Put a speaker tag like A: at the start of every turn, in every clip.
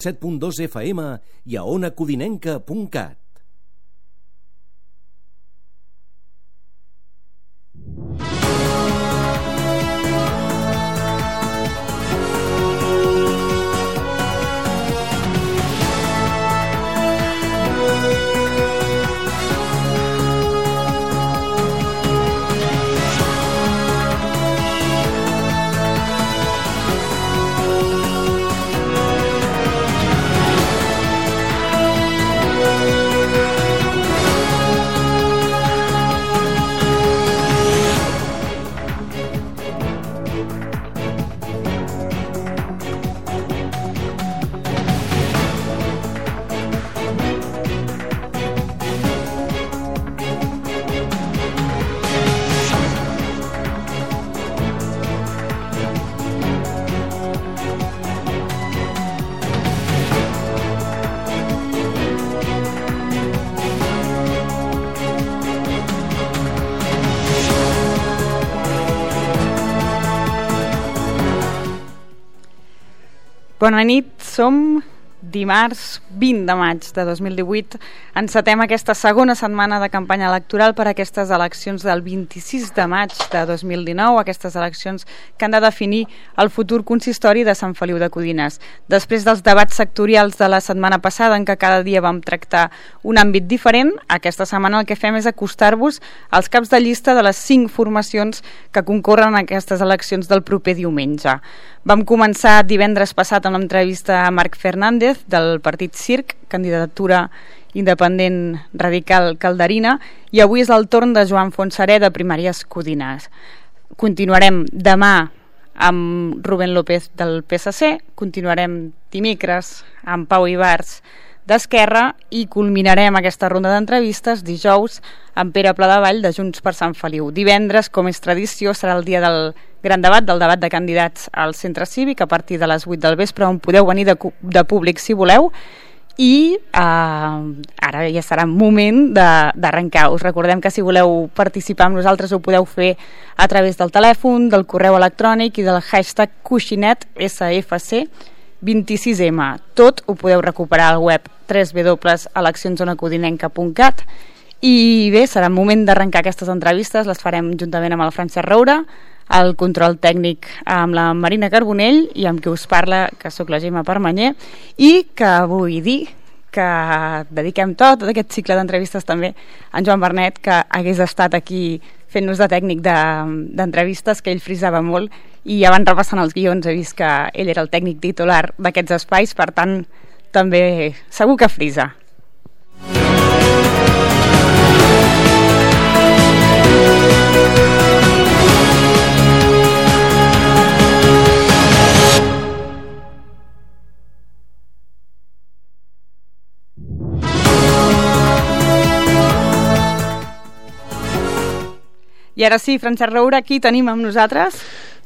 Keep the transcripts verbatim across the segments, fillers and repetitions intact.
A: set punt dos F M i a ona codinenca punt cat.
B: Bona nit, som dimarts vint de maig de dos mil divuit. Encetem aquesta segona setmana de campanya electoral per a aquestes eleccions del vint-i-sis de maig de dos mil dinou, aquestes eleccions que han de definir el futur consistori de Sant Feliu de Codines. Després dels debats sectorials de la setmana passada, en què cada dia vam tractar un àmbit diferent, aquesta setmana el que fem és acostar-vos als caps de llista de les cinc formacions que concorren a aquestes eleccions del proper diumenge. Vam començar divendres passat amb l'entrevista a Marc Fernández del partit CiRC, candidatura independent radical calderina, i avui és el torn de Joan Fontserè de Primàries Codines. Continuarem demà amb Rubén López del P S C, continuarem dimecres amb Pau Ibars d'Esquerra i culminarem aquesta ronda d'entrevistes dijous amb Pere Pladevall de Junts per Sant Feliu. Divendres, com és tradició, serà el dia del gran debat, del debat de candidats al centre cívic a partir de les vuit del vespre, on podeu venir de, de públic si voleu. I eh, ara ja serà moment d'arrencar. Us recordem que si voleu participar amb nosaltres ho podeu fer a través del telèfon, del correu electrònic i del hashtag Coixinet S F C vint-i-sis M. Tot ho podeu recuperar al web w w w punt eleccions ona codinenca punt cat. I bé, serà moment d'arrencar aquestes entrevistes, les farem juntament amb el Francesc Roura, el control tècnic amb la Marina Carbonell i amb qui us parla, que sóc la Gemma Permanyer, i que vull dir que dediquem tot, tot aquest cicle d'entrevistes també a en Joan Bernet, que hagués estat aquí fent-nos de tècnic d'entrevistes, que ell frisava molt, i abans repassant els guions he vist que ell era el tècnic titular d'aquests espais, per tant també segur que frisa. I ara sí, Francesc Roura, aquí tenim amb nosaltres?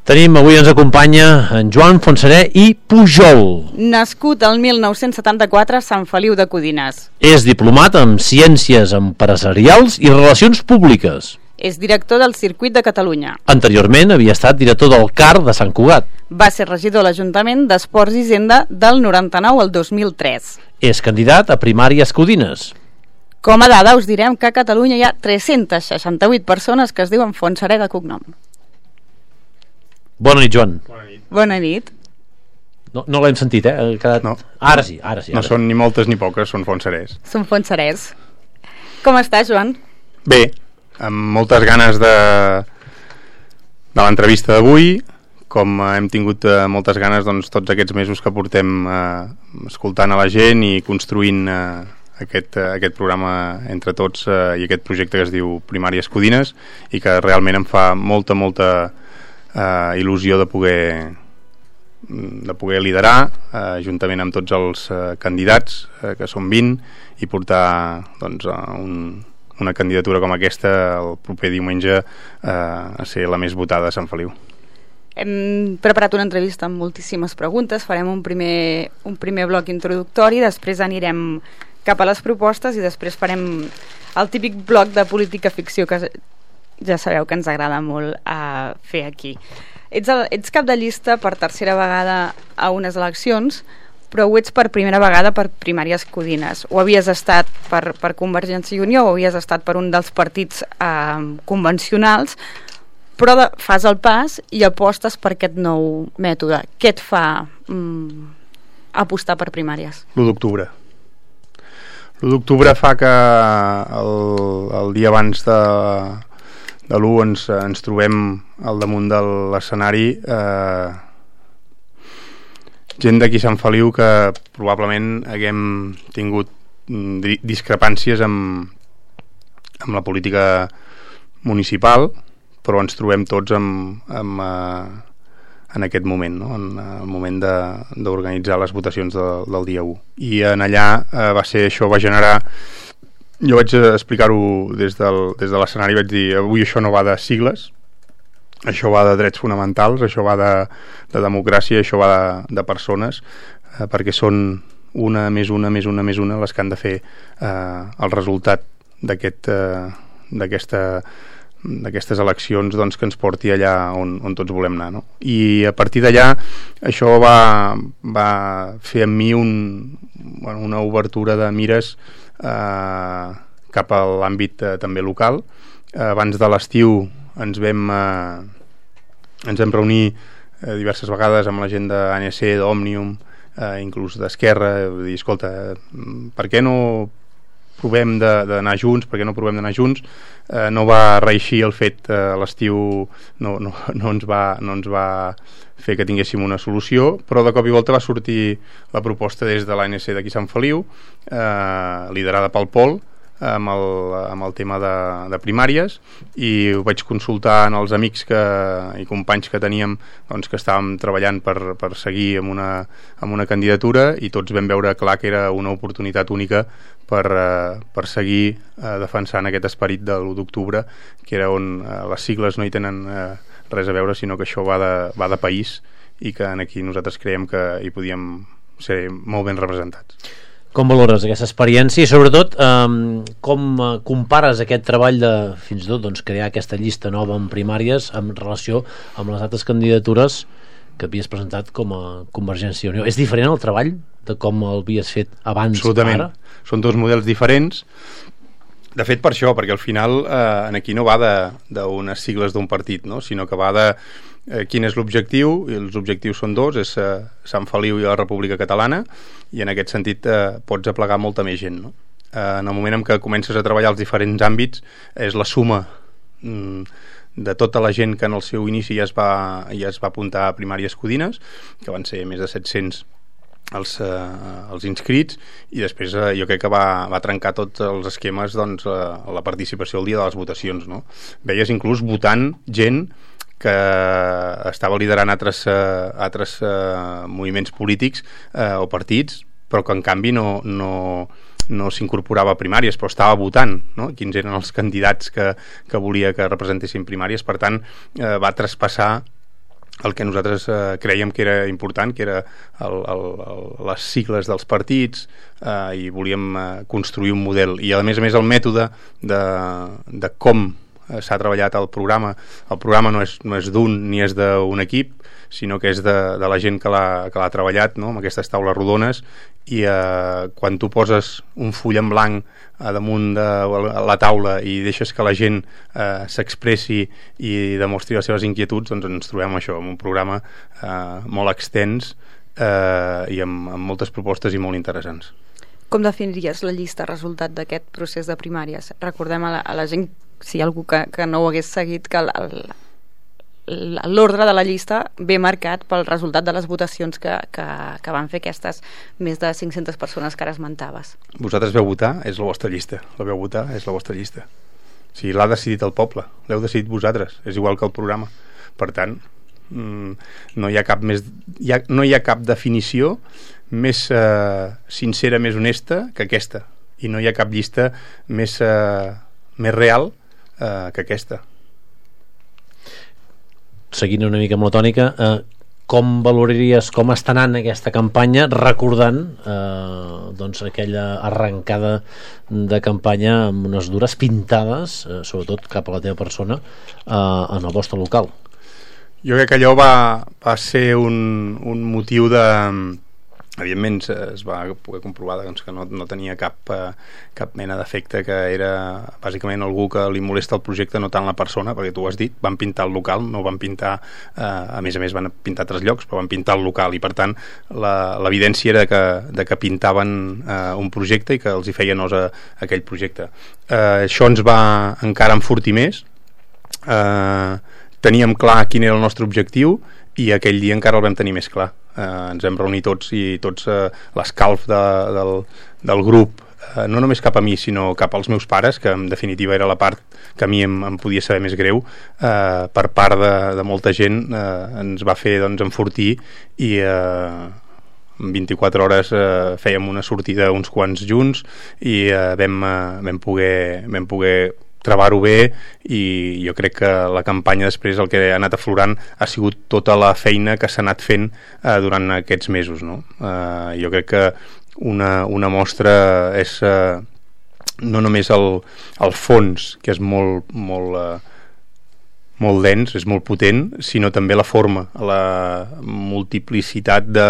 C: Tenim, avui ens acompanya en Joan Fontserè i Pujol.
B: Nascut el mil nou-cents setanta-quatre a Sant Feliu de Codines.
C: És diplomat en Ciències Empresarials i Relacions Públiques.
B: És director del Circuit de Catalunya.
C: Anteriorment havia estat director del C A R de Sant Cugat.
B: Va ser regidor de l'Ajuntament d'Esports i Hisenda del noranta-nou al dos mil tres.
C: És candidat a Primàries Codines.
B: Com a dada us direm que a Catalunya hi ha tres-centes seixanta-vuit persones que es diuen Fontserè de cognom.
C: Bona nit, Joan.
D: Bona nit.
B: Bona nit.
C: No, no l'hem sentit, eh? Ha quedat...
D: No.
C: Ara sí, ara sí. Ara
D: no són ni moltes ni poques, són Fontserès.
B: Són Fontserès. Com estàs, Joan?
D: Bé, amb moltes ganes de, de l'entrevista d'avui, com hem tingut eh, moltes ganes doncs, tots aquests mesos que portem eh, escoltant a la gent i construint eh, aquest, eh, aquest programa entre tots eh, i aquest projecte que es diu Primàries Codines, i que realment em fa molta, molta eh, il·lusió de poder de poder liderar eh, juntament amb tots els eh, candidats, eh, que són vint, i portar doncs, un, una candidatura com aquesta el proper diumenge eh, a ser la més votada de Sant Feliu.
B: Hem preparat una entrevista amb moltíssimes preguntes, farem un primer, un primer bloc introductori, després anirem cap a les propostes i després farem el típic bloc de política ficció que ja sabeu que ens agrada molt a fer aquí. Ets, el, ets cap de llista per tercera vegada a unes eleccions, però ho ets per primera vegada per Primàries Codines. O havies estat per, per Convergència i Unió o havies estat per un dels partits eh, convencionals, però de, fas el pas i apostes per aquest nou mètode. Què et fa mm, apostar per primàries?
D: l'u d'octubre. l'u d'octubre fa que el, el dia abans de, de l'u ens, ens trobem al damunt de l'escenari eh, gent d'aquí Sant Feliu que probablement haguem tingut discrepàncies amb, amb la política municipal, però ens trobem tots amb, amb, eh, en aquest moment, no? En el moment d'organitzar les votacions de, del dia u. I en allà eh, va ser això, va generar... Jo vaig explicar-ho des, del, des de l'escenari, vaig dir, avui això no va de sigles, això va de drets fonamentals, això va de, de democràcia, això va de, de persones, eh, perquè són una més una més una més una les que han de fer eh, el resultat d'aquest, eh, d'aquesta, d'aquestes eleccions, doncs, que ens porti allà on, on tots volem anar, no? I a partir d'allà això va, va fer en mi un, bueno, una obertura de mires eh, cap a l'àmbit eh, també local. Eh, abans de l'estiu ens vam eh, ens vam reunir eh, diverses vegades amb la gent d'A N C, d'Òmnium, eh, inclús d'Esquerra, vull dir, escolta, per què no provem d'anar junts, per què no provem d'anar junts? Eh, no va reeixir el fet, eh, l'estiu no, no, no, ens va, no ens va fer que tinguéssim una solució, però de cop i volta va sortir la proposta des de l'A N C d'aquí Sant Feliu, eh, liderada pel Pol, amb el, amb el tema de, de primàries, i ho vaig consultar en els amics que, i companys que teníem, doncs, que estàvem treballant per, per seguir amb una, amb una candidatura, i tots vam veure clar que era una oportunitat única per, eh, per seguir eh, defensant aquest esperit de l'u d'octubre, que era on eh, les sigles no hi tenen eh, res a veure, sinó que això va de, va de país, i que aquí nosaltres creiem que hi podíem ser molt ben representats.
C: Com valores aquesta experiència i sobretot eh, com compares aquest treball de fins i tot doncs, crear aquesta llista nova en primàries en relació amb les altres candidatures que havies presentat com a Convergència i Unió? És diferent el treball de com el havies fet abans?
D: Absolutament. Ara? Són dos models diferents. De fet, per això, perquè al final eh, aquí no va d'unes sigles d'un partit, no? Sinó que va de eh, quin és l'objectiu, i els objectius són dos, és eh, Sant Feliu i la República Catalana, i en aquest sentit eh, pots aplegar molta més gent, no? Eh, en el moment en què comences a treballar els diferents àmbits, és la suma mm, de tota la gent que en el seu inici ja es va, ja es va apuntar a Primàries Codines, que van ser més de set-cents els, eh, els inscrits, i després eh, jo crec que va, va trencar tots els esquemes, doncs, eh, la participació el dia de les votacions, no? Veies inclús votant gent que estava liderant altres, eh, altres eh, moviments polítics eh, o partits, però que en canvi no, no, no s'incorporava a primàries, però estava votant, no? Quins eren els candidats que, que volia que representessin primàries. Per tant, eh, va traspassar el que nosaltres eh, creiem que era important, que era el, el, el, les sigles dels partits, eh, i volíem eh, construir un model. I a més a més el mètode de, de com s'ha treballat el programa. El programa no és, no és d'un ni és d'un equip, sinó que és de, de la gent que l'ha treballat, no? Amb aquestes taules rodones, i eh, quan tu poses un full en blanc a damunt de la taula i deixes que la gent eh, s'expressi i demostri les seves inquietuds, doncs ens trobem això, amb un programa eh, molt extens eh, i amb, amb moltes propostes i molt interessants.
B: Com definiries la llista resultat d'aquest procés de primàries? Recordem a la, a la gent, si hi ha algú que, que no ho hagués seguit, que l'ordre de la llista ve marcat pel resultat de les votacions que, que, que van fer aquestes més de cinc-centes persones que ara esmentaves.
D: Vosaltres veu votar, és la vostra llista. La veu votar, és la vostra llista. O sigui, l'ha decidit el poble, l'heu decidit vosaltres, és igual que el programa. Per tant, no hi ha cap més, hi ha, no hi ha cap definició més eh, sincera, més honesta que aquesta, i no hi ha cap llista més, eh, més real eh, que aquesta.
C: Seguint una mica amb la tònica, eh, com valoraries com està anant aquesta campanya, recordant eh, doncs aquella arrencada de campanya amb unes dures pintades, eh, sobretot cap a la teva persona, eh, en el vostre local?
D: Jo crec que allò va, va ser un, un motiu de, evidentment es va poder comprovar doncs, que no, no tenia cap, eh, cap mena d'efecte, que era bàsicament algú que li molesta el projecte, no tant la persona, perquè tu ho has dit, van pintar el local, no van pintar, eh, a més a més van pintar altres llocs, però van pintar el local, i per tant l'evidència era que, de que pintaven eh, un projecte i que els hi feia nosa aquell projecte. Eh, això ens va encara enfortir més, eh, teníem clar quin era el nostre objectiu, i aquell dia encara el vam tenir més clar. Eh, ens vam reunir tots, i tots eh, l'escalf de, del, del grup, eh, no només cap a mi sinó cap als meus pares, que en definitiva era la part que a mi em, em podia saber més greu, eh, per part de, de molta gent, eh, ens va fer doncs, enfortir, i eh, en vint-i-quatre hores eh, fèiem una sortida uns quants junts, i eh, vam, eh, vam poder, vam poder trebar-ho bé, i jo crec que la campanya després el que ha anat aflorant ha sigut tota la feina que s'ha anat fent eh, durant aquests mesos, no? Eh, jo crec que una, una mostra és eh, no només el, el fons, que és molt, molt, eh, molt dens, és molt potent, sinó també la forma, la multiplicitat de,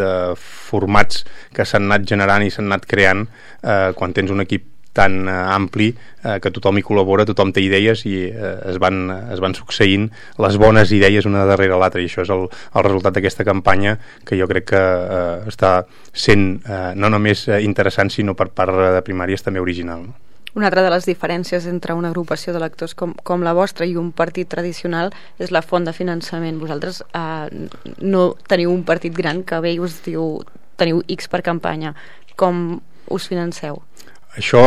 D: de formats que s'han anat generant i s'han anat creant eh, quan tens un equip tan uh, ampli, uh, que tothom hi col·labora, tothom té idees, i uh, es, van, es van succeint les bones idees una darrere l'altra, i això és el, el resultat d'aquesta campanya, que jo crec que uh, està sent uh, no només uh, interessant, sinó per part de Primàries també original, no?
B: Una altra de les diferències entre una agrupació de lectors com, com la vostra i un partit tradicional és la font de finançament. Vosaltres eh, no teniu un partit gran que ve i us diu teniu X per campanya. Com us financeu?
D: Això,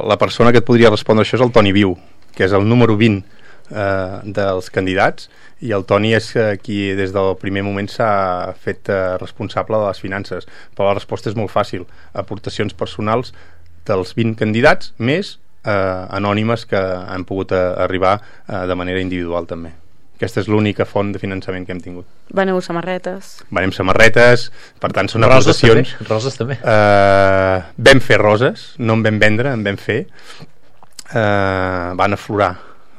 D: la persona que et podria respondre això és el Toni Viu, que és el número vint eh, dels candidats, i el Toni és eh, qui des del primer moment s'ha fet eh, responsable de les finances. Però la resposta és molt fàcil: aportacions personals dels vint candidats, més eh, anònimes que han pogut eh, arribar eh, de manera individual també. Aquesta és l'única font de finançament que hem tingut.
B: Veneu samarretes?
D: Venem samarretes, per tant són
C: roses
D: aportacions.
C: També. Roses també.
D: Uh, vam fer roses, no en vam vendre, en vam fer. Uh, van aflorar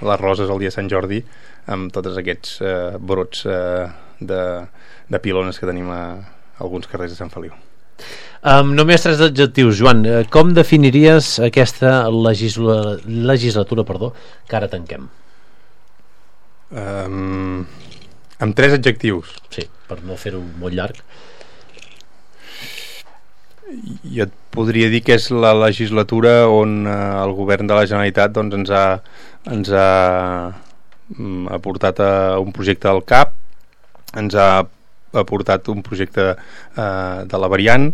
D: les roses el dia de Sant Jordi amb tots aquests uh, brots uh, de, de pilones que tenim a alguns carrers de Sant Feliu.
C: Um, només tres adjectius, Joan. Com definiries aquesta legisla... legislatura perdó, que ara tanquem?
D: Um, amb tres adjectius.
C: Sí, per no fer-ho molt llarg.
D: Jo et podria dir que és la legislatura on uh, el govern de la Generalitat doncs, ens ha, ens ha um, aportat a un projecte del C A P, ens ha aportat un projecte uh, de la variant,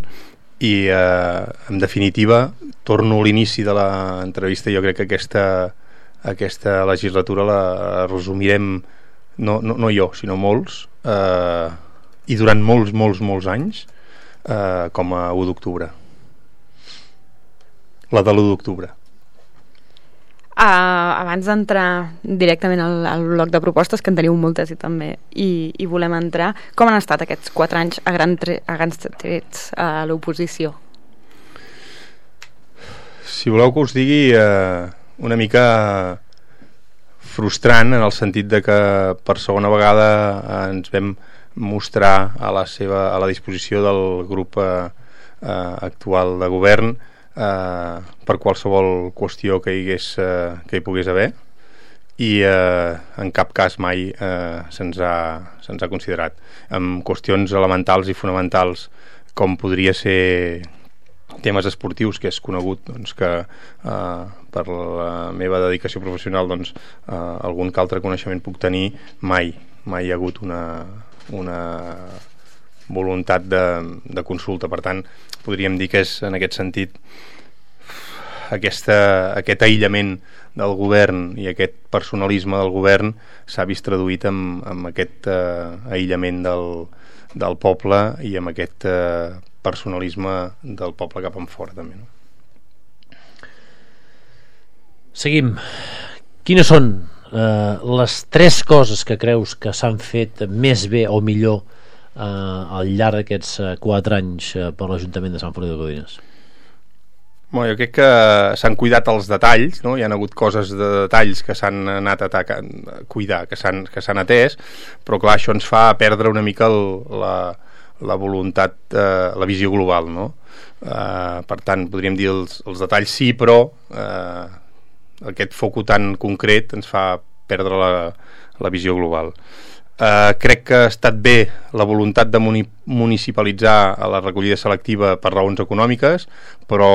D: i uh, en definitiva, torno a l'inici de l'entrevista, jo crec que aquesta aquesta legislatura la resumirem, no, no, no jo, sinó molts, eh, i durant molts, molts, molts anys, eh, com a u d'octubre. La de l'u d'octubre.
B: Uh, abans d'entrar directament al, al bloc de propostes, que en teniu moltes i també i, i volem entrar, com han estat aquests quatre anys a, gran tre a grans trets a l'oposició?
D: Si voleu que us digui... Eh, una mica frustrant, en el sentit de que per segona vegada ens vam mostrar a la seva a la disposició del grup eh, eh, actual de govern eh, per qualsevol qüestió que hi, hagués, eh, que hi pogués haver, i eh, en cap cas mai eh, se'ns ha, se'ns ha considerat en qüestions elementals i fonamentals, com podria ser temes esportius, que és conegut doncs, que eh, per la meva dedicació professional doncs, eh, algun que altre coneixement puc tenir. Mai, mai hi ha hagut una, una voluntat de, de consulta. Per tant, podríem dir que és en aquest sentit aquesta, aquest aïllament del govern i aquest personalisme del govern s'ha vist traduït en, en aquest eh, aïllament del, del poble i amb aquest eh, personalisme del poble cap en fora també, no?
C: Seguim. Quines són eh, les tres coses que creus que s'han fet més bé o millor eh, al llarg d'aquests eh, quatre anys eh, per l'Ajuntament de Sant Feliu de Codines?
D: Bueno, jo crec que s'han cuidat els detalls, no? Hi ha hagut coses de detalls que s'han anat a atacar, a cuidar, que s'han que s'han atès, però clar, això ens fa perdre una mica el, la, la voluntat, eh, la visió global, no? Eh, per tant, podríem dir els, els detalls sí, però eh, aquest foco tan concret ens fa perdre la, la visió global. Uh, crec que ha estat bé la voluntat de muni municipalitzar la recollida selectiva per raons econòmiques, però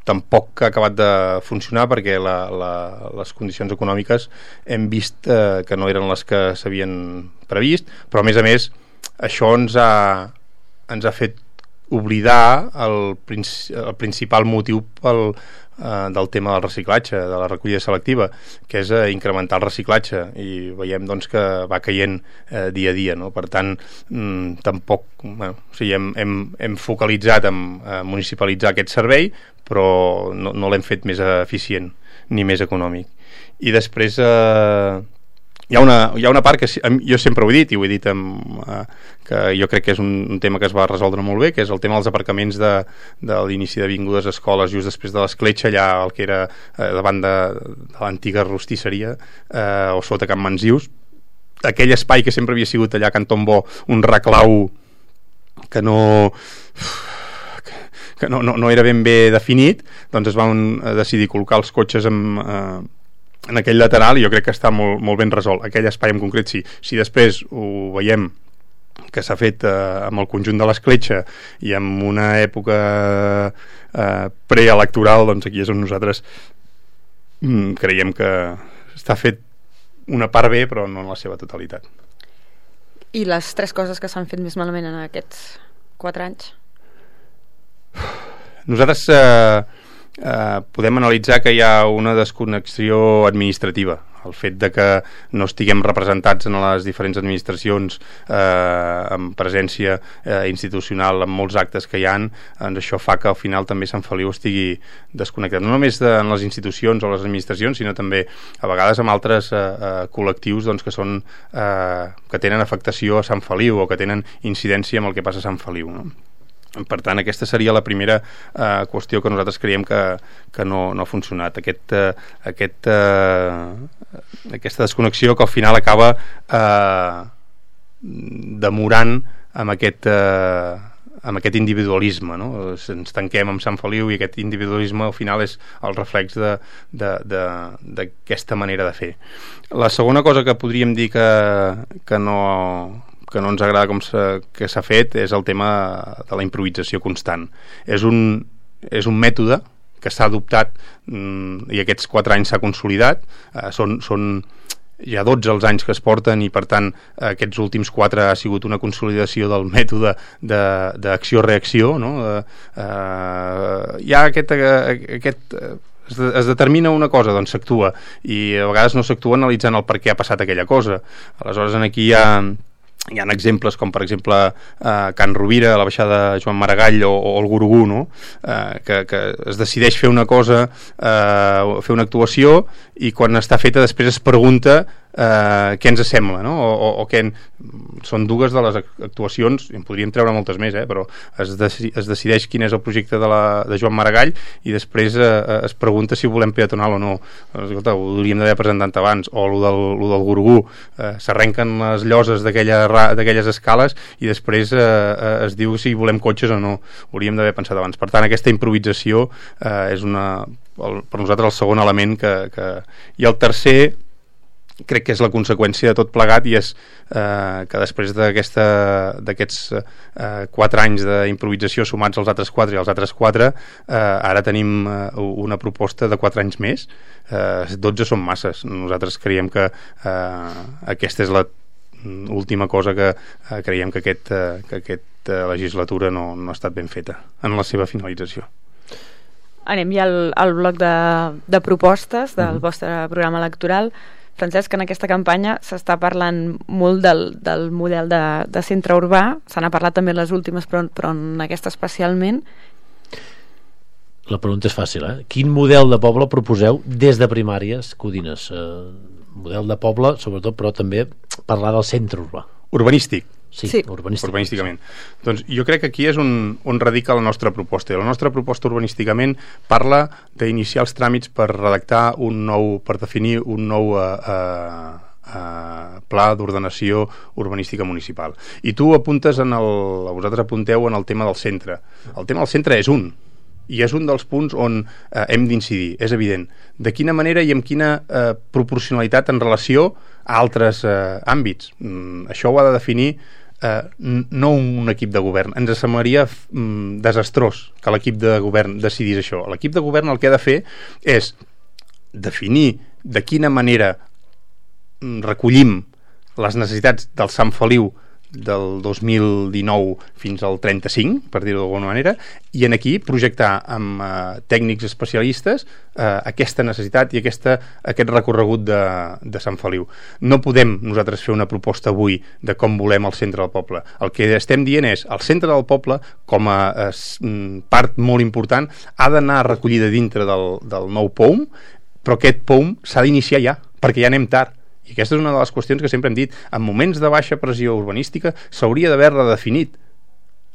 D: tampoc ha acabat de funcionar perquè la, la, les condicions econòmiques hem vist uh, que no eren les que s'havien previst, però a més a més això ens ha, ens ha fet oblidar el, princi el principal motiu pel, eh, del tema del reciclatge, de la recollida selectiva, que és eh, incrementar el reciclatge, i veiem doncs, que va caient eh, dia a dia, no? Per tant, mm, tampoc bueno, o sigui, hem, hem, hem focalitzat en eh, municipalitzar aquest servei, però no, no l'hem fet més eficient ni més econòmic. I després eh, Hi ha, una, hi ha una part que jo sempre ho he dit, i ho he dit amb, eh, que jo crec que és un, un tema que es va resoldre molt bé, que és el tema dels aparcaments de, de l'inici d'avingudes, escoles, just després de l'escletxa, allà el que era eh, davant de, de l'antiga rostisseria, eh, o sota Can Mansius, aquell espai que sempre havia sigut allà a Can Tombó un reclau que no... que no, no, no era ben bé definit, doncs es van decidir col·locar els cotxes amb... Eh, en aquell lateral, i jo crec que està molt, molt ben resolt. Aquell espai en concret sí. Si després ho veiem que s'ha fet eh, amb el conjunt de l'escletxa i en una època eh, preelectoral, doncs aquí és on nosaltres mm, creiem que està fet una part bé, però no en la seva totalitat.
B: I les tres coses que s'han fet més malament en aquests quatre anys?
D: Nosaltres... Eh, Uh, podem analitzar que hi ha una desconnexió administrativa, el fet de que no estiguem representats en les diferents administracions eh, amb presència eh, institucional en molts actes que hi ha, doncs això fa que al final també Sant Feliu estigui desconnectat, no només de, en les institucions o les administracions, sinó també a vegades amb altres eh, eh, col·lectius doncs, que són eh, que tenen afectació a Sant Feliu o que tenen incidència amb el que passa a Sant Feliu, no? Per tant, aquesta seria la primera eh, qüestió que nosaltres creiem que, que no, no ha funcionat. Aquest, eh, aquest, eh, aquesta desconnexió que al final acaba eh, demorant amb aquest, eh, amb aquest individualisme, no? Ens tanquem amb Sant Feliu i aquest individualisme al final és el reflex d'aquesta manera de fer. La segona cosa que podríem dir que, que no... que no ens agrada com s'ha, que s'ha fet és el tema de la improvisació constant. És un, és un mètode que s'ha adoptat mm, i aquests quatre anys s'ha consolidat. Eh, són, són ja dotze els anys que es porten i per tant aquests últims quatre ha sigut una consolidació del mètode d'acció-reacció, no? Eh, eh, hi ha aquest... aquest es, de, es determina una cosa, doncs s'actua, i a vegades no s'actua analitzant el per què ha passat aquella cosa. Aleshores aquí hi ha hi ha exemples com per exemple eh, Can Rovira, la baixada Joan Maragall o, o el Gurugú, no? eh, que, que es decideix fer una cosa, eh, fer una actuació, i quan està feta després es pregunta eh, què ens sembla, no? o, o, o què en... són dues de les actuacions, en podríem treure moltes més, eh? però es, deci es decideix quin és el projecte de, la, de Joan Maragall i després eh, es pregunta si ho volem peatonal o no. Escolta, ho hauríem d'haver presentat abans. O el del, lo del Gurugú, eh, s'arrenquen les lloses d'aquelles escales i després eh, es diu si volem cotxes o no. Ho hauríem d'haver pensat abans. Per tant, aquesta improvisació eh, és una, el, per nosaltres el segon element que, que... i el tercer crec que és la conseqüència de tot plegat, i és eh, que després d'aquests eh, quatre anys d'improvisació sumats als altres quatre i als altres quatre, eh, ara tenim eh, una proposta de quatre anys més. eh, dotze són masses. Nosaltres creiem que eh, aquesta és la última cosa que eh, creiem que aquest, eh, que aquesta legislatura no, no ha estat ben feta en la seva finalització.
B: Anem ja al, al bloc de, de propostes del
D: Mm-hmm.
B: vostre programa electoral. Francesc, en aquesta campanya s'està parlant molt del, del model de, de centre urbà, se n'ha parlat també en les últimes, però, però en aquesta especialment.
C: La pregunta és fàcil, eh? Quin model de poble proposeu des de primàries, Codines? Eh, model de poble, sobretot, però també parlar del centre urbà.
D: Urbanístic.
C: Sí,
B: Sí.
C: urbanístic.
D: urbanísticament. Doncs jo crec que aquí és on, on radica la nostra proposta. I la nostra proposta urbanísticament parla d'iniciar els tràmits per redactar un nou, per definir un nou eh, eh, uh, pla d'ordenació urbanística municipal. I tu apuntes en el, vosaltres apunteu en el tema del centre. El tema del centre és un, i és un dels punts on eh, hem d'incidir, és evident. De quina manera i amb quina eh, proporcionalitat en relació a altres eh, àmbits. Mm, això ho ha de definir eh, no un equip de govern. Ens semblaria mm, desastrós que l'equip de govern decidís això. L'equip de govern el que ha de fer és definir de quina manera recollim les necessitats del Sant Feliu del dos mil dinou fins al trenta-cinc, per dir-ho d'alguna manera, i en aquí projectar amb eh, tècnics especialistes eh, aquesta necessitat i aquesta, aquest recorregut de, de Sant Feliu. No podem nosaltres fer una proposta avui de com volem el centre del poble. El que estem dient és el centre del poble, com a eh, part molt important, ha d'anar recollida dintre del, del nou P O U M, però aquest P O U M s'ha d'iniciar ja, perquè ja anem tard. I aquesta és una de les qüestions que sempre hem dit. En moments de baixa pressió urbanística s'hauria d'haver redefinit.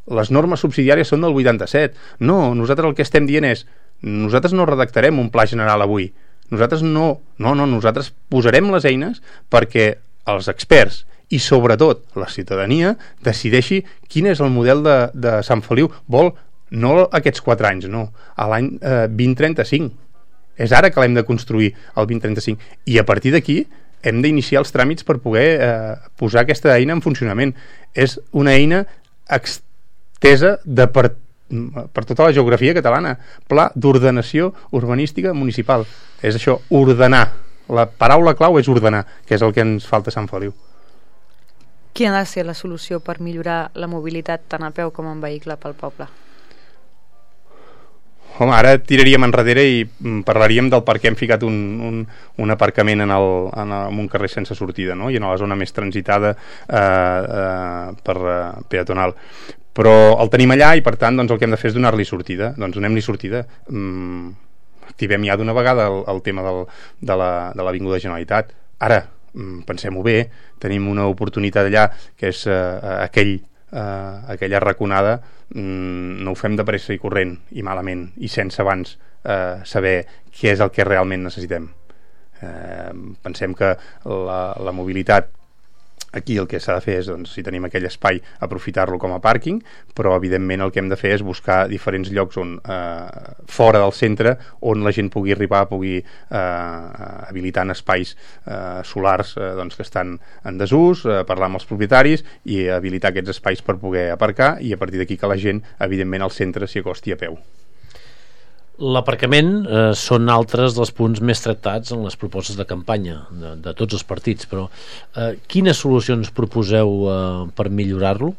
D: Les normes subsidiàries són del vuitanta-set. No, nosaltres el que estem dient és nosaltres no redactarem un pla general avui. Nosaltres no, no, no, nosaltres posarem les eines perquè els experts i sobretot la ciutadania decideixi quin és el model de, de Sant Feliu. Vol no aquests quatre anys, no, a l'any eh, vint trenta-cinc. És ara que l'hem de construir, el vint trenta-cinc. I a partir d'aquí hem d'iniciar els tràmits per poder eh, posar aquesta eina en funcionament. És una eina extesa de per, per tota la geografia catalana. Pla d'ordenació urbanística municipal. És això, ordenar. La paraula clau és ordenar, que és el que ens falta a Sant Feliu.
B: Quina ha de ser la solució per millorar la mobilitat tant a peu com en vehicle pel poble?
D: Home, ara tiraríem enrere i parlaríem del per què hem ficat un, un, un aparcament en, el, en, el, en un carrer sense sortida, no? I en la zona més transitada eh, eh, per eh, peatonal. Però el tenim allà i per tant doncs, el que hem de fer és donar-li sortida. Doncs donem-li sortida. Mm, activem ja d'una vegada el, el tema del, de l'Avinguda la, Generalitat. Ara, mm, pensem-ho bé, tenim una oportunitat allà que és eh, aquell Uh, aquella raconada, mm, no ho fem de pressa i corrent i malament i sense abans uh, saber què és el que realment necessitem. Uh, pensem que la, la mobilitat aquí el que s'ha de fer és, doncs, si tenim aquell espai, aprofitar-lo com a pàrquing, però evidentment el que hem de fer és buscar diferents llocs on, eh, fora del centre, on la gent pugui arribar, pugui eh, habilitant espais eh, solars eh, doncs, que estan en desús, eh, parlar amb els propietaris i habilitar aquests espais per poder aparcar, i a partir d'aquí que la gent, evidentment, al centre s'hi acosti a peu.
C: L'aparcament eh, són altres dels punts més tractats en les propostes de campanya de, de tots els partits, però eh, quines solucions proposeu eh, per millorar-lo?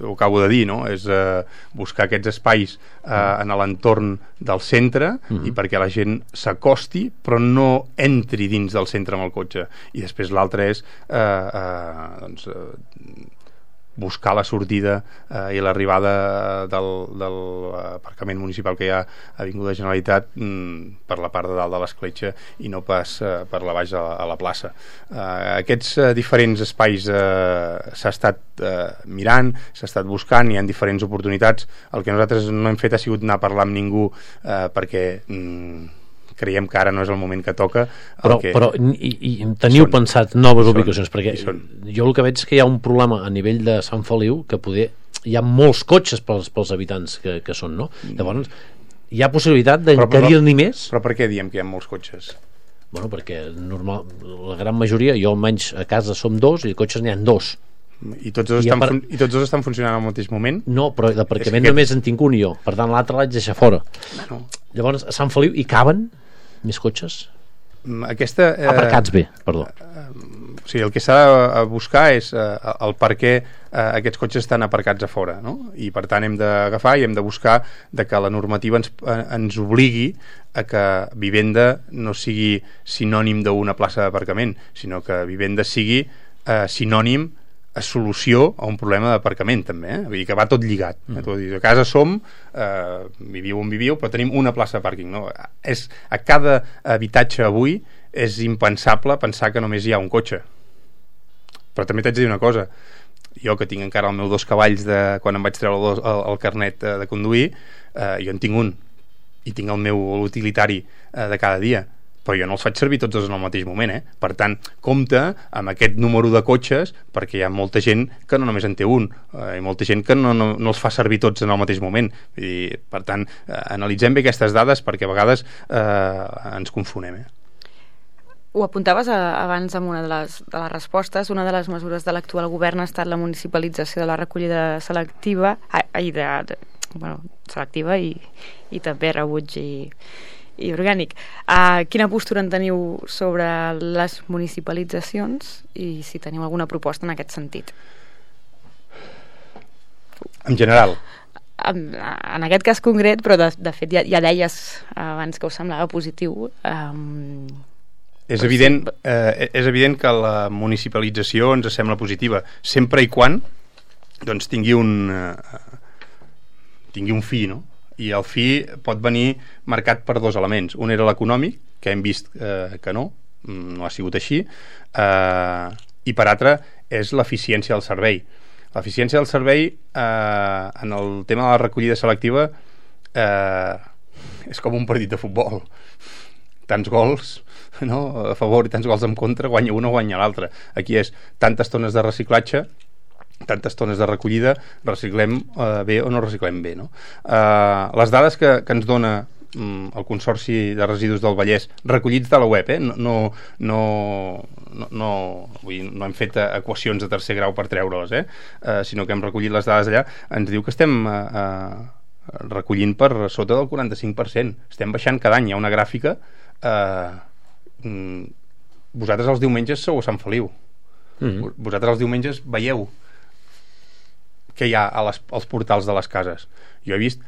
D: Ho acabo de dir, no? És eh, buscar aquests espais eh, en l'entorn del centre uh-huh. i perquè la gent s'acosti però no entri dins del centre amb el cotxe. I després l'altre és eh, eh, doncs, eh, buscar la sortida eh, i l'arribada del, del aparcament municipal que hi ha a Avinguda Generalitat mm, per la part de dalt de l'escletxa i no pas eh, per la baix a la, a la plaça. Eh, aquests eh, diferents espais eh, s'ha estat eh, mirant, s'ha estat buscant, hi ha diferents oportunitats. El que nosaltres no hem fet ha sigut anar a parlar amb ningú eh, perquè mm, creiem que ara no és el moment que toca.
C: Però,
D: que
C: però i, i teniu són, pensat noves ubicacions? Perquè
D: són.
C: Jo el que veig és que hi ha un problema a nivell de Sant Feliu que poder, hi ha molts cotxes pels, pels habitants que, que són, no? Llavors, hi ha possibilitat d'encarir-n'hi més?
D: Però per què diem que hi ha molts cotxes?
C: Bueno, perquè normal, la gran majoria, jo almenys a casa som dos i cotxes n'hi ha dos.
D: I tots dos, I estan, par... I tots dos estan funcionant al mateix moment?
C: No, però d'aparcament aquest... només en tinc un i jo, per tant l'altre l'haig de deixar fora. Bueno. Llavors, a Sant Feliu hi caben més cotxes?
D: Aquesta, eh,
C: aparcats bé, perdó.
D: Eh, o sigui, el que s'ha de buscar és eh, el per què eh, aquests cotxes estan aparcats a fora, no? I per tant hem d'agafar i hem de buscar de que la normativa ens, eh, ens obligui a que vivenda no sigui sinònim d'una plaça d'aparcament, sinó que vivenda sigui eh, sinònim a solució a un problema d'aparcament també, eh? Vull dir que va tot lligat. Mm. Eh? A casa som, eh, viviu on viviu, però tenim una plaça de pàrquing, no? És, a cada habitatge avui és impensable pensar que només hi ha un cotxe. Però també t'haig de dir una cosa, jo que tinc encara el meu dos cavalls de quan em vaig treure el, dos, el, el carnet de, de conduir, eh, jo en tinc un i tinc el meu utilitari eh, de cada dia, però jo no els faig servir tots en el mateix moment, eh? Per tant, compte amb aquest número de cotxes, perquè hi ha molta gent que no només en té un, eh, i molta gent que no, no, no els fa servir tots en el mateix moment, i per tant, eh, analitzem bé aquestes dades, perquè a vegades eh, ens confonem, eh?
B: Ho apuntaves a, abans amb una de les, de les respostes. Una de les mesures de l'actual govern ha estat la municipalització de la recollida selectiva, ai, de, de, bueno, selectiva i, i també rebuig i, i orgànic. Uh, quina postura en teniu sobre les municipalitzacions i si teniu alguna proposta en aquest sentit?
D: En general?
B: En, en aquest cas concret, però de, de fet ja, ja deies abans que us semblava positiu. Um,
D: És evident, eh, és evident que la municipalització ens sembla positiva, sempre i quan doncs, tingui un eh, tingui un fi, no? I el fi pot venir marcat per dos elements. Un era l'econòmic, que hem vist eh, que no, no ha sigut així, eh, i per altre és l'eficiència del servei. L'eficiència del servei eh, en el tema de la recollida selectiva eh, és com un partit de futbol. Tants gols, no, a favor i tants gols en contra, guanya un o guanya l'altre. Aquí és tantes tones de reciclatge, tantes tones de recollida, reciclem eh, bé o no reciclem bé, no? Eh, les dades que, que ens dona mm, el Consorci de Residus del Vallès, recollits de la web, eh? no, no, no, no, no, vull dir, no hem fet equacions de tercer grau per treure-les, eh? Eh, sinó que hem recollit les dades allà, ens diu que estem eh, eh, recollint per sota del quaranta-cinc per cent. Estem baixant cada any. Hi ha una gràfica. Uh, vosaltres els diumenges sou a Sant Feliu, mm-hmm. vosaltres els diumenges veieu què hi ha a les, als portals de les cases. Jo he vist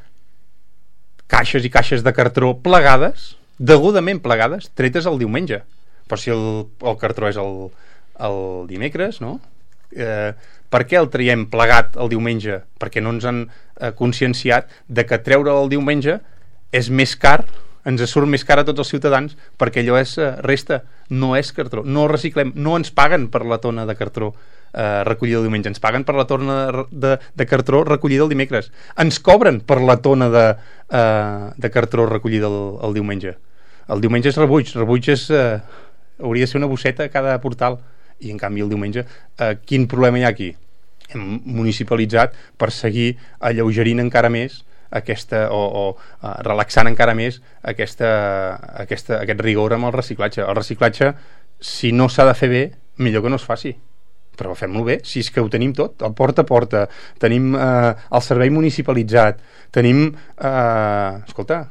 D: caixes i caixes de cartró plegades, degudament plegades, tretes el diumenge, però si el, el cartró és el, el dimecres, no? Eh, per què el traiem plegat el diumenge? Perquè no ens han eh, conscienciat de que treure el diumenge és més car, ens surt més car a tots els ciutadans, perquè allò és eh, resta, no és cartró, no reciclem, no ens paguen per la tona de cartró eh, recollida el diumenge, ens paguen per la tona de, de, de cartró recollida el dimecres, ens cobren per la tona de, eh, de cartró recollida el, el diumenge. El diumenge és rebuig, rebuig és, eh, hauria de ser una bosseta a cada portal, i en canvi el diumenge eh, quin problema hi ha aquí? Hem municipalitzat per seguir alleugerint encara més aquesta, o, o uh, relaxant encara més aquesta, aquesta, aquest rigor amb el reciclatge. El reciclatge, si no s'ha de fer bé, millor que no es faci, però fem-lo bé, si és que ho tenim tot, el porta a porta, tenim eh, el servei municipalitzat, tenim eh, escolta,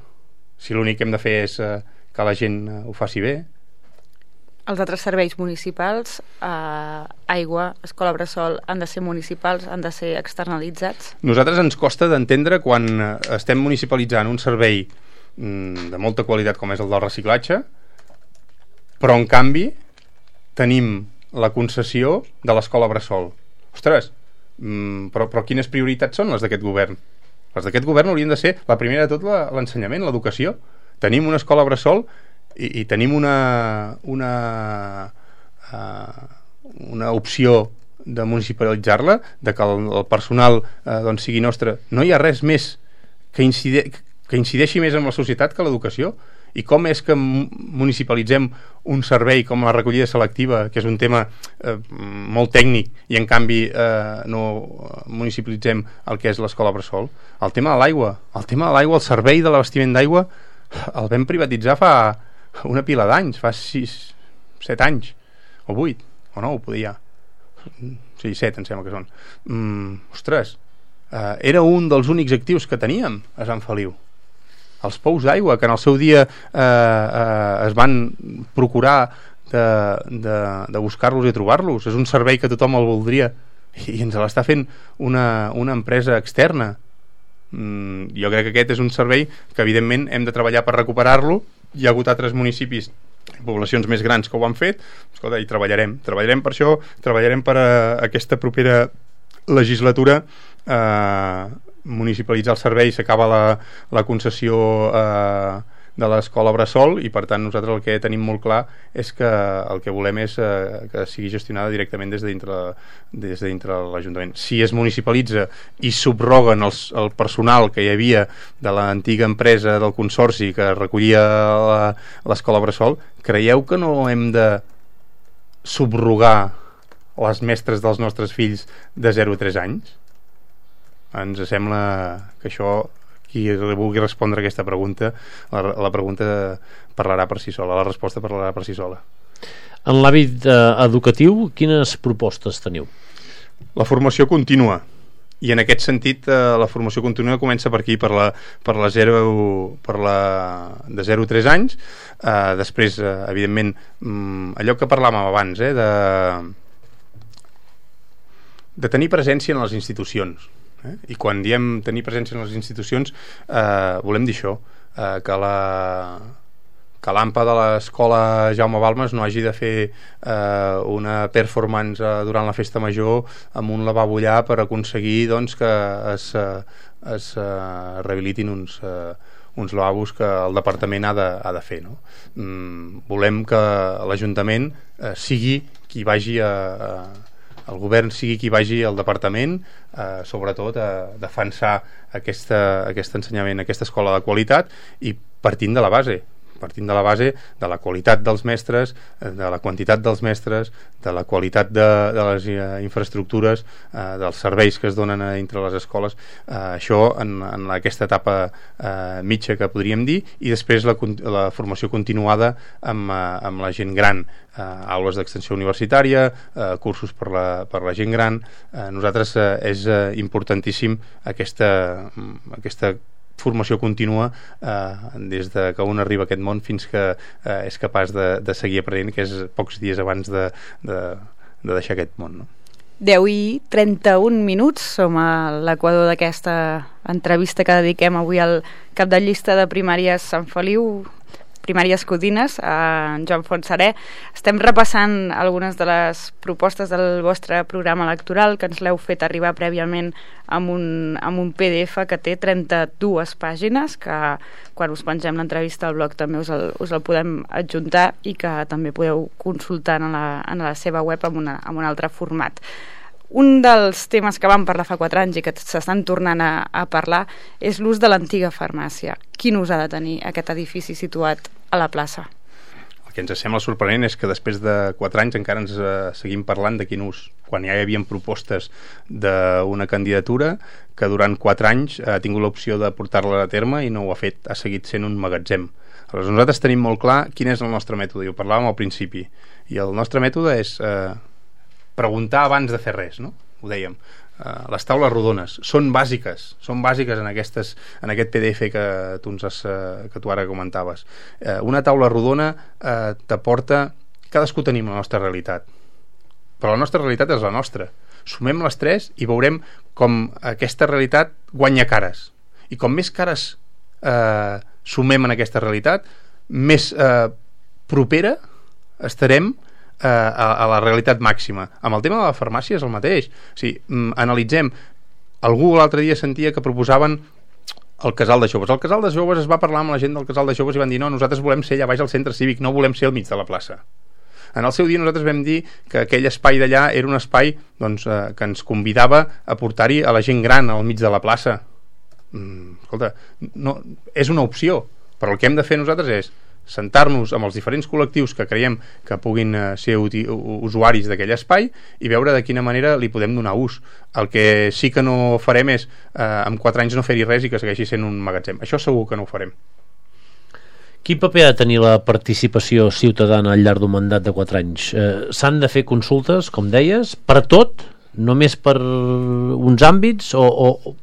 D: si l'únic que hem de fer és eh, que la gent eh, ho faci bé.
B: Els altres serveis municipals, eh, aigua, escola bressol, han de ser municipals, han de ser externalitzats?
D: Nosaltres ens costa d'entendre quan estem municipalitzant un servei mm, de molta qualitat com és el del reciclatge, però en canvi tenim la concessió de l'escola bressol. Ostres, mm, però, però quines prioritats són les d'aquest govern? Les d'aquest govern haurien de ser, la primera de tot, l'ensenyament, l'educació. Tenim una escola bressol i, i tenim una una uh, una opció de municipalitzar-la, de que el, el personal uh, doncs sigui nostre. No hi ha res més que, incide, que incideixi més en la societat que l'educació. I com és que municipalitzem un servei com la recollida selectiva, que és un tema eh, molt tècnic, i en canvi eh, no municipalitzem el que és l'escola bressol? El tema de l'aigua, el tema de l'aigua, el servei de l'abastiment d'aigua, el vam privatitzar fa una pila d'anys, fa sis, set anys, o vuit, o nou, podia. Sí, set, em sembla que són. Mm, ostres, eh, era un dels únics actius que teníem a Sant Feliu. Els pous d'aigua, que en el seu dia eh, eh, es van procurar de, de, de buscar-los i trobar-los. És un servei que tothom el voldria i ens l'està fent una, una empresa externa. Mm, jo crec que aquest és un servei que evidentment hem de treballar per recuperar-lo. Hi ha hagut altres municipis, poblacions més grans que ho han fet. Escolta, i treballarem treballarem per això, treballarem per a aquesta propera legislatura eh, municipalitzar el servei. S'acaba la, la concessió eh, de l'escola Bressol, i per tant nosaltres el que tenim molt clar és que el que volem és eh, que sigui gestionada directament des de dintre, des de dintre l'Ajuntament. Si es municipalitza i subroguen els, el personal que hi havia de l'antiga empresa del Consorci que recollia l'escola Bressol, creieu que no hem de subrogar les mestres dels nostres fills de zero a tres anys? Ens sembla que això, qui vulgui respondre a aquesta pregunta, la, la pregunta parlarà per si sola, la resposta parlarà per si sola.
C: En l'àmbit eh, educatiu, quines propostes teniu?
D: La formació contínua, i en aquest sentit eh, la formació contínua comença per aquí, per la, per la, zero, per la de zero a tres anys. eh, després, eh, evidentment, mm, allò que parlàvem abans, eh, de, de tenir presència en les institucions. Eh? I quan diem tenir presència en les institucions eh, volem dir això, eh, que la que l'AMPA de l'escola Jaume Balmes no hagi de fer eh, una performance eh, durant la festa major amb un lavabo allà per aconseguir doncs, que es, es eh, rehabilitin uns, eh, uns lavabos que el departament ha de, ha de fer, no? Mm, volem que l'Ajuntament eh, sigui qui vagi a, a el govern sigui qui vagi al departament, eh, sobretot a defensar aquesta, aquest ensenyament, aquesta escola de qualitat, i partint de la base partint de la base de la qualitat dels mestres, de la quantitat dels mestres, de la qualitat de, de les eh, infraestructures, eh, dels serveis que es donen a dintre les escoles. Eh, això en, en aquesta etapa eh, mitja que podríem dir, i després la, la formació continuada amb, eh, amb la gent gran, eh, aules d'extensió universitària, eh, cursos per la, per la gent gran. Eh, nosaltres eh, és eh, importantíssim aquesta, aquesta formació contínua eh, des de que un arriba a aquest món fins que eh, és capaç de, de seguir aprenent, que és pocs dies abans de, de, de deixar aquest món, no?
B: deu i trenta-un minuts, som a l'equador d'aquesta entrevista que dediquem avui al cap de llista de primàries Sant Feliu, primàries Codines, a Joan Fontserè. Estem repassant algunes de les propostes del vostre programa electoral, que ens l'heu fet arribar prèviament amb un, amb un P D F que té trenta-dues pàgines, que quan us pengem l'entrevista al blog també us el, us el podem adjuntar, i que també podeu consultar en la, en la seva web amb, una, amb un altre format. Un dels temes que vam parlar fa quatre anys i que s'estan tornant a, a parlar és l'ús de l'antiga farmàcia. Quin ús ha de tenir aquest edifici situat a la plaça?
D: El que ens sembla sorprenent és que després de quatre anys encara ens eh, seguim parlant de quin ús, quan ja hi havia propostes d'una candidatura que durant quatre anys ha tingut l'opció de portar-la a terme i no ho ha fet, ha seguit sent un magatzem. Aleshores, nosaltres tenim molt clar quin és el nostre mètode, i ho parlàvem al principi, i el nostre mètode és eh, preguntar abans de fer res, no? Ho dèiem. Uh, les taules rodones són bàsiques, són bàsiques en, aquestes, en aquest P D F que tu, ens has, uh, que tu ara comentaves. Uh, una taula rodona uh, t'aporta... Cadascú tenim la nostra realitat, però la nostra realitat és la nostra. Sumem les tres i veurem com aquesta realitat guanya cares. I com més cares uh, sumem en aquesta realitat, més uh, propera estarem A, a la realitat màxima. Amb el tema de la farmàcia és el mateix. O sigui, mm, analitzem. Algú l'altre dia sentia que proposaven el casal de joves. El casal de joves, es va parlar amb la gent del casal de joves i van dir no, nosaltres volem ser allà baix al centre cívic, no volem ser al mig de la plaça. En el seu dia nosaltres vam dir que aquell espai d'allà era un espai doncs, eh, que ens convidava a portar-hi a la gent gran al mig de la plaça. Mm, escolta, no, és una opció, però el que hem de fer nosaltres és sentar-nos amb els diferents col·lectius que creiem que puguin eh, ser usuaris d'aquell espai i veure de quina manera li podem donar ús. El que sí que no farem és eh, en quatre anys no fer-hi res i que segueixi sent un magatzem. Això segur que no ho farem.
C: Quin paper ha de tenir la participació ciutadana al llarg d'un mandat de quatre anys? Eh, S'han de fer consultes, com deies, per tot? Només per uns àmbits? O, o,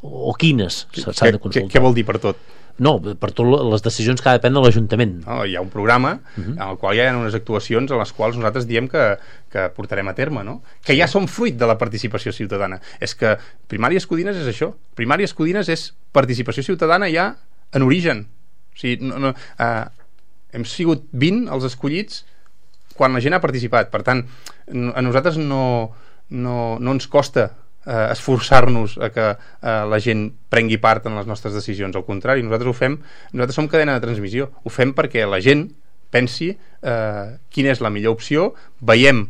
C: o quines s'han de consultar?
D: Què, què vol dir per tot?
C: No, per totes les decisions que ha de prendre l'Ajuntament.
D: No, hi ha un programa uh-huh. en el qual hi ha unes actuacions en les quals nosaltres diem que, que portarem a terme, no? Que ja són fruit de la participació ciutadana. És que Primàries Codines és això. Primàries Codines és participació ciutadana ja en origen. O sigui, no, no, eh, hem sigut vint els escollits quan la gent ha participat. Per tant, a nosaltres no, no, no ens costa eh, esforçar-nos a que eh, la gent prengui part en les nostres decisions. Al contrari, nosaltres ho fem, nosaltres som cadena de transmissió, ho fem perquè la gent pensi eh, quina és la millor opció, veiem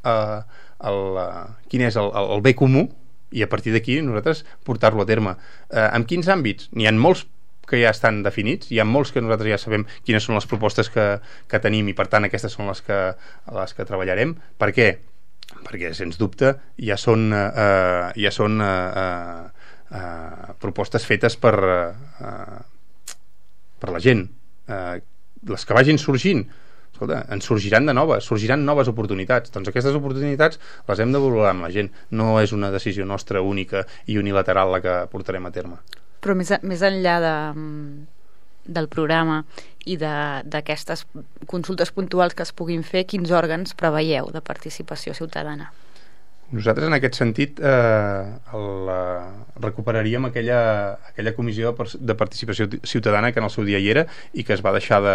D: eh, el, uh, quin és el, el, el bé comú, i a partir d'aquí nosaltres portar-lo a terme. Eh, en quins àmbits? N'hi ha molts que ja estan definits, hi ha molts que nosaltres ja sabem quines són les propostes que, que tenim, i per tant aquestes són les que, les que treballarem. Per què? Perquè sens dubte ja són, eh, ja són eh, eh, propostes fetes per, eh, per la gent. Eh, les que vagin sorgint, escolta, ens sorgiran de noves, sorgiran noves oportunitats. Doncs aquestes oportunitats les hem de valorar amb la gent. No és una decisió nostra única i unilateral la que portarem a terme.
B: Però més, més enllà de, del programa i d'aquestes consultes puntuals que es puguin fer, quins òrgans preveieu de participació ciutadana?
D: Nosaltres en aquest sentit eh, el, eh, recuperaríem aquella, aquella comissió de, de participació ciutadana que en el seu dia hi era i que es va deixar de,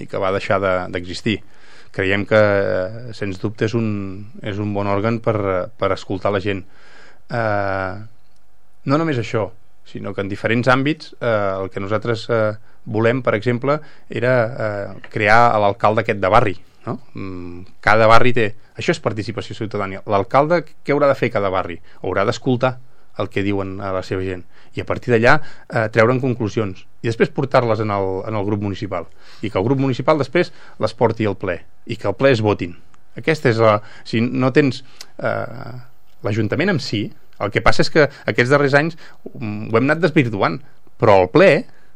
D: i que va deixar d'existir. De, creiem que eh, sens dubte és un, és un bon òrgan per, per escoltar la gent. Eh, no només això, sinó que en diferents àmbits eh, el que nosaltres eh, volem, per exemple, era eh, crear l'alcalde aquest de barri, no? Cada barri té... Això és participació ciutadana. L'alcalde què haurà de fer cada barri? Haurà d'escoltar el que diuen a la seva gent i a partir d'allà eh, treure'n conclusions i després portar-les en, el, en el grup municipal i que el grup municipal després les porti al ple i que el ple es votin. Aquesta és la... Si no tens... Eh, l'Ajuntament en si, el que passa és que aquests darrers anys ho hem anat desvirtuant, però el ple,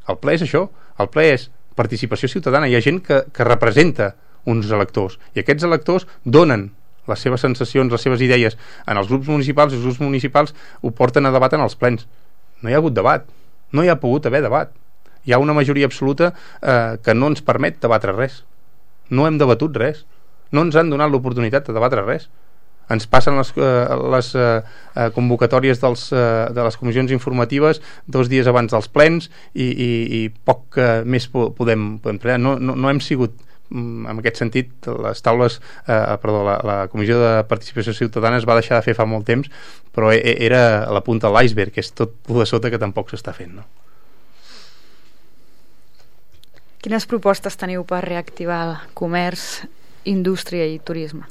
D: el ple és això, el ple és participació ciutadana, hi ha gent que, que representa uns electors, i aquests electors donen les seves sensacions, les seves idees en els grups municipals, i els grups municipals ho porten a debat en els plens. No hi ha hagut debat, no hi ha pogut haver debat. Hi ha una majoria absoluta eh, que no ens permet debatre res. No hem debatut res, no ens han donat l'oportunitat de debatre res. Ens passen les, eh, les eh, convocatòries dels, eh, de les comissions informatives dos dies abans dels plens i, i, i poc eh, més podem, podem treballar. No, no, no hem sigut, en aquest sentit, les taules, eh, perdó, la, la comissió de participació ciutadana es va deixar de fer fa molt temps, però era la punta de l'iceberg, que és tot de sota que tampoc s'està fent, no?
B: Quines propostes teniu per reactivar el comerç, indústria i turisme?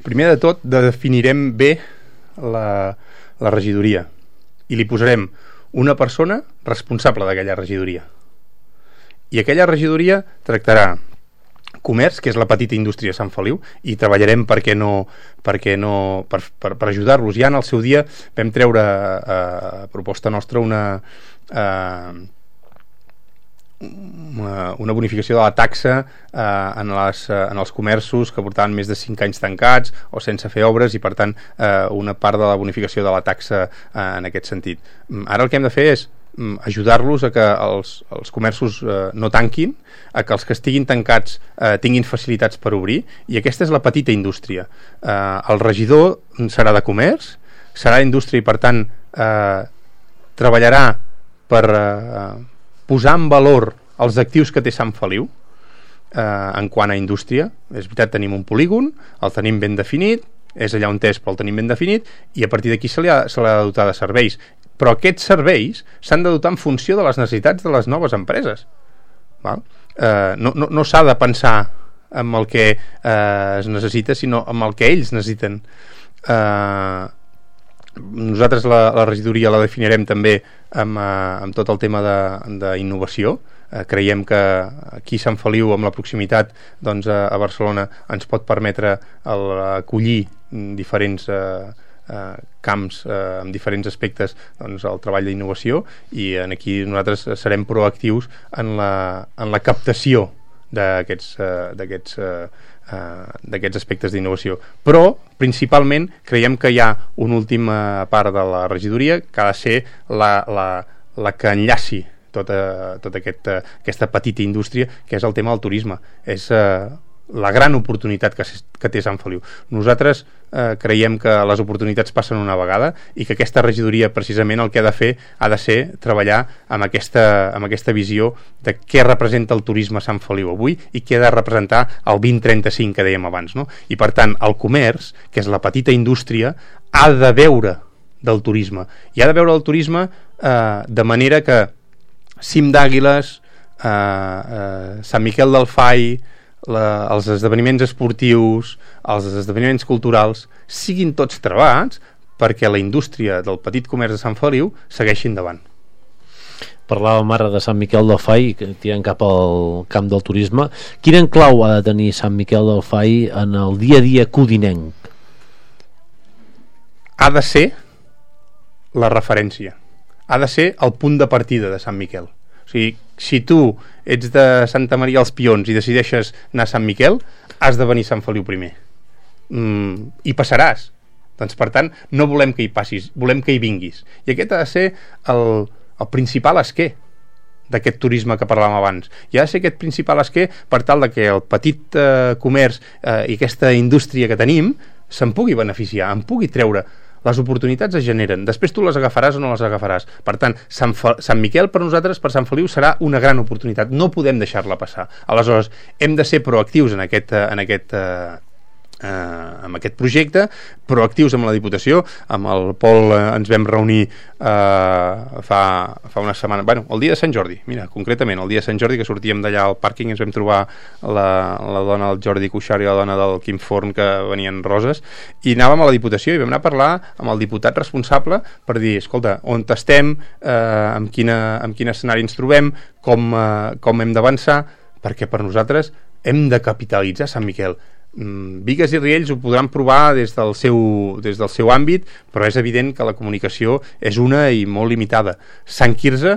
D: Primer de tot, definirem bé la, la regidoria i li posarem una persona responsable d'aquella regidoria. I aquella regidoria tractarà comerç, que és la petita indústria de Sant Feliu, i treballarem perquè no, perquè no, per, per, per ajudar-los. Ja en el seu dia vam treure a, a proposta nostra una... A, Una, una bonificació de la taxa eh, en, les, eh, en els comerços que portaven més de cinc anys tancats o sense fer obres i per tant eh, una part de la bonificació de la taxa eh, en aquest sentit. Ara el que hem de fer és mm, ajudar-los a que els, els comerços eh, no tanquin, a que els que estiguin tancats eh, tinguin facilitats per obrir, i aquesta és la petita indústria. Eh, el regidor serà de comerç, serà indústria i per tant eh, treballarà per eh, posar en valor els actius que té Sant Feliu eh, en quant a indústria. És veritat, tenim un polígon, el tenim ben definit, és allà on és, però el tenim ben definit, i a partir d'aquí se li ha, se li ha de dotar de serveis. Però aquests serveis s'han de dotar en funció de les necessitats de les noves empreses. Val? Eh, no no, no s'ha de pensar en el que eh, es necessita, sinó en el que ells necessiten. Eh, nosaltres la, la regidoria la definirem també amb, eh, amb tot el tema d'innovació. Eh, creiem que aquí a Sant Feliu, amb la proximitat doncs, a, a Barcelona, ens pot permetre el, acollir diferents eh, eh, camps eh, amb diferents aspectes, doncs, el treball d'innovació, i en aquí nosaltres serem proactius en la, en la captació d'aquests eh, d'aquests eh, Uh, d'aquests aspectes d'innovació, però principalment creiem que hi ha una última part de la regidoria que ha de ser la, la, la que enllaci tota, tota aquest, aquesta petita indústria, que és el tema del turisme. És uh, la gran oportunitat que, que té Sant Feliu. Nosaltres eh, creiem que les oportunitats passen una vegada i que aquesta regidoria precisament el que ha de fer ha de ser treballar amb aquesta, amb aquesta visió de què representa el turisme a Sant Feliu avui i què ha de representar el vint trenta-cinc que dèiem abans, no? I per tant el comerç, que és la petita indústria, ha de veure del turisme. I ha de veure el turisme eh, de manera que Cim d'Àguiles, eh, eh, Sant Miquel del Fai, la, els esdeveniments esportius, els esdeveniments culturals, siguin tots travats perquè la indústria del petit comerç de Sant Feliu segueixi endavant.
C: Parlàvem ara de Sant Miquel del Fai, que tirant cap al camp del turisme. Quin enclau ha de tenir Sant Miquel del Fai en el dia a dia codinenc?
D: Ha de ser la referència. Ha de ser el punt de partida de Sant Miquel. O sigui, si tu ets de Santa Maria als Pions i decideixes anar a Sant Miquel, has de venir a Sant Feliu primer. Mm, I passaràs. Doncs, per tant, no volem que hi passis, volem que hi vinguis. I aquest ha de ser el, el principal esquer d'aquest turisme que parlàvem abans. I ha de ser aquest principal esquer per tal de que el petit eh, comerç eh, i aquesta indústria que tenim se'n pugui beneficiar, en pugui treure. Les oportunitats es generen, després tu les agafaràs o no les agafaràs. Per tant, Sant, Fa Sant Miquel per nosaltres, per Sant Feliu, serà una gran oportunitat, no podem deixar-la passar. Aleshores, hem de ser proactius en aquest, en aquest eh, eh, amb aquest projecte, proactius amb la Diputació. Amb el Pol eh, ens vam reunir eh, fa, fa una setmana, bueno, el dia de Sant Jordi, mira, concretament, el dia de Sant Jordi, que sortíem d'allà al pàrquing, ens vam trobar la, la dona del Jordi Cuixart i la dona del Quim Forn, que venien roses, i anàvem a la Diputació i vam anar a parlar amb el diputat responsable per dir, escolta, on estem, eh, amb, quina, amb quin escenari ens trobem, com, eh, com hem d'avançar, perquè per nosaltres hem de capitalitzar Sant Miquel. Bigues i Riells ho podran provar des del seu, des del seu àmbit, però és evident que la comunicació és una i molt limitada. Sant Quirze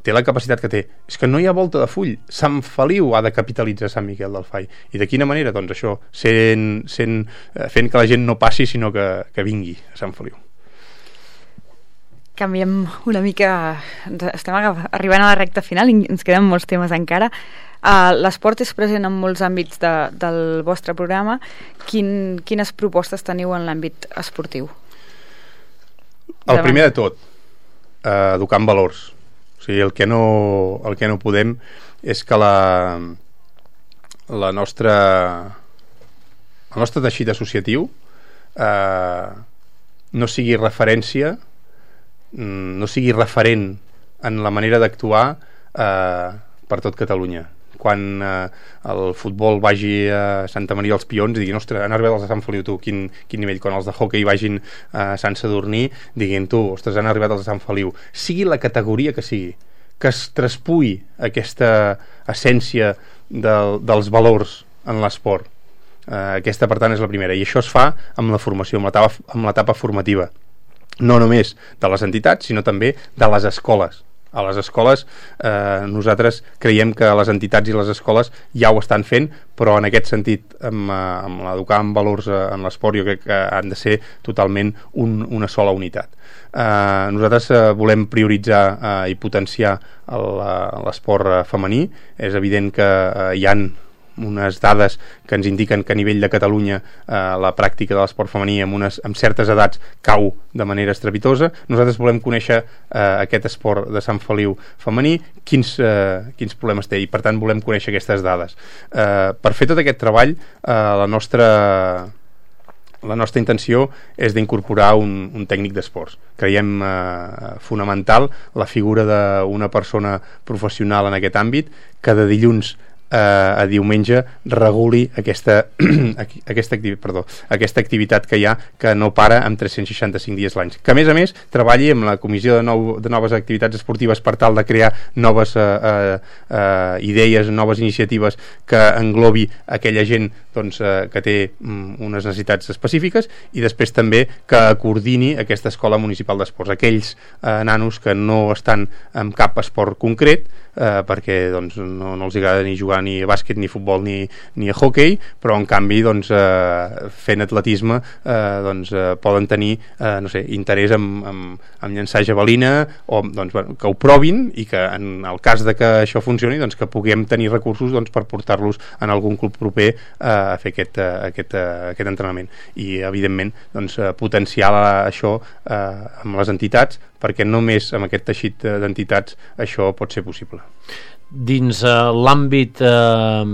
D: té la capacitat que té, és que no hi ha volta de full. Sant Feliu ha de capitalitzar Sant Miquel del Fai, i de quina manera? Doncs això, sent, sent, fent que la gent no passi sinó que, que vingui a Sant Feliu.
B: Canviem una mica, estem arribant a la recta final i ens queden molts temes encara. Uh, l'esport és present en molts àmbits de, del vostre programa. Quin, quines propostes teniu en l'àmbit esportiu?
D: El primer de tot, uh, educar en valors. O sigui, el que no, el que no podem és que la, la nostra, el nostre teixit associatiu uh, no sigui referència, no sigui referent en la manera d'actuar uh, per tot Catalunya. Quan eh, el futbol vagi a Santa Maria als Pions i diguin, ostres, han arribat els de Sant Feliu, tu, quin, quin nivell. Quan els de hoquei vagin a Sant Sadurní, diguin, tu, ostres, han arribat els de Sant Feliu. Sigui la categoria que sigui, que es traspui aquesta essència del, dels valors en l'esport. Eh, aquesta, per tant, és la primera. I això es fa amb la formació, amb l'etapa, amb l'etapa formativa. No només de les entitats, sinó també de les escoles. A les escoles eh, nosaltres creiem que les entitats i les escoles ja ho estan fent, però en aquest sentit amb, amb l'educar en valors en l'esport jo crec que han de ser totalment un, una sola unitat. Eh, nosaltres eh, volem prioritzar eh, i potenciar l'esport femení. És evident que eh, hi han unes dades que ens indiquen que a nivell de Catalunya eh, la pràctica de l'esport femení amb, unes, amb certes edats cau de manera estrepitosa. Nosaltres volem conèixer eh, aquest esport de Sant Feliu femení, quins, eh, quins problemes té, i per tant volem conèixer aquestes dades. Eh, per fer tot aquest treball eh, la nostra la nostra intenció és d'incorporar un, un tècnic d'esports. Creiem eh, fonamental la figura d'una persona professional en aquest àmbit que de dilluns Eh, a diumenge reguli aquesta, aquesta, activi, perdó, aquesta activitat que hi ha, que no para amb tres-cents seixanta-cinc dies l'any, que a més a més treballi amb la comissió de, nou, de noves activitats esportives per tal de crear noves eh, eh, idees, noves iniciatives que englobi aquella gent doncs, eh, que té mm, unes necessitats específiques, i després també que coordini aquesta escola municipal d'esports, aquells eh, nanos que no estan en cap esport concret eh, perquè doncs, no, no els agrada ni jugar ni a bàsquet, ni a futbol, ni, ni a hoquei, però en canvi doncs, eh, fent atletisme eh, doncs, eh, poden tenir eh, no sé, interès en, en, en llançar javelina, o doncs, bueno, que ho provin, i que en el cas de que això funcioni doncs, que puguem tenir recursos doncs, per portar-los en algun club proper eh, a fer aquest, eh, aquest, eh, aquest entrenament, i evidentment doncs, eh, potenciar la, això eh, amb les entitats, perquè només amb aquest teixit d'entitats això pot ser possible.
C: Dins eh, l'àmbit eh,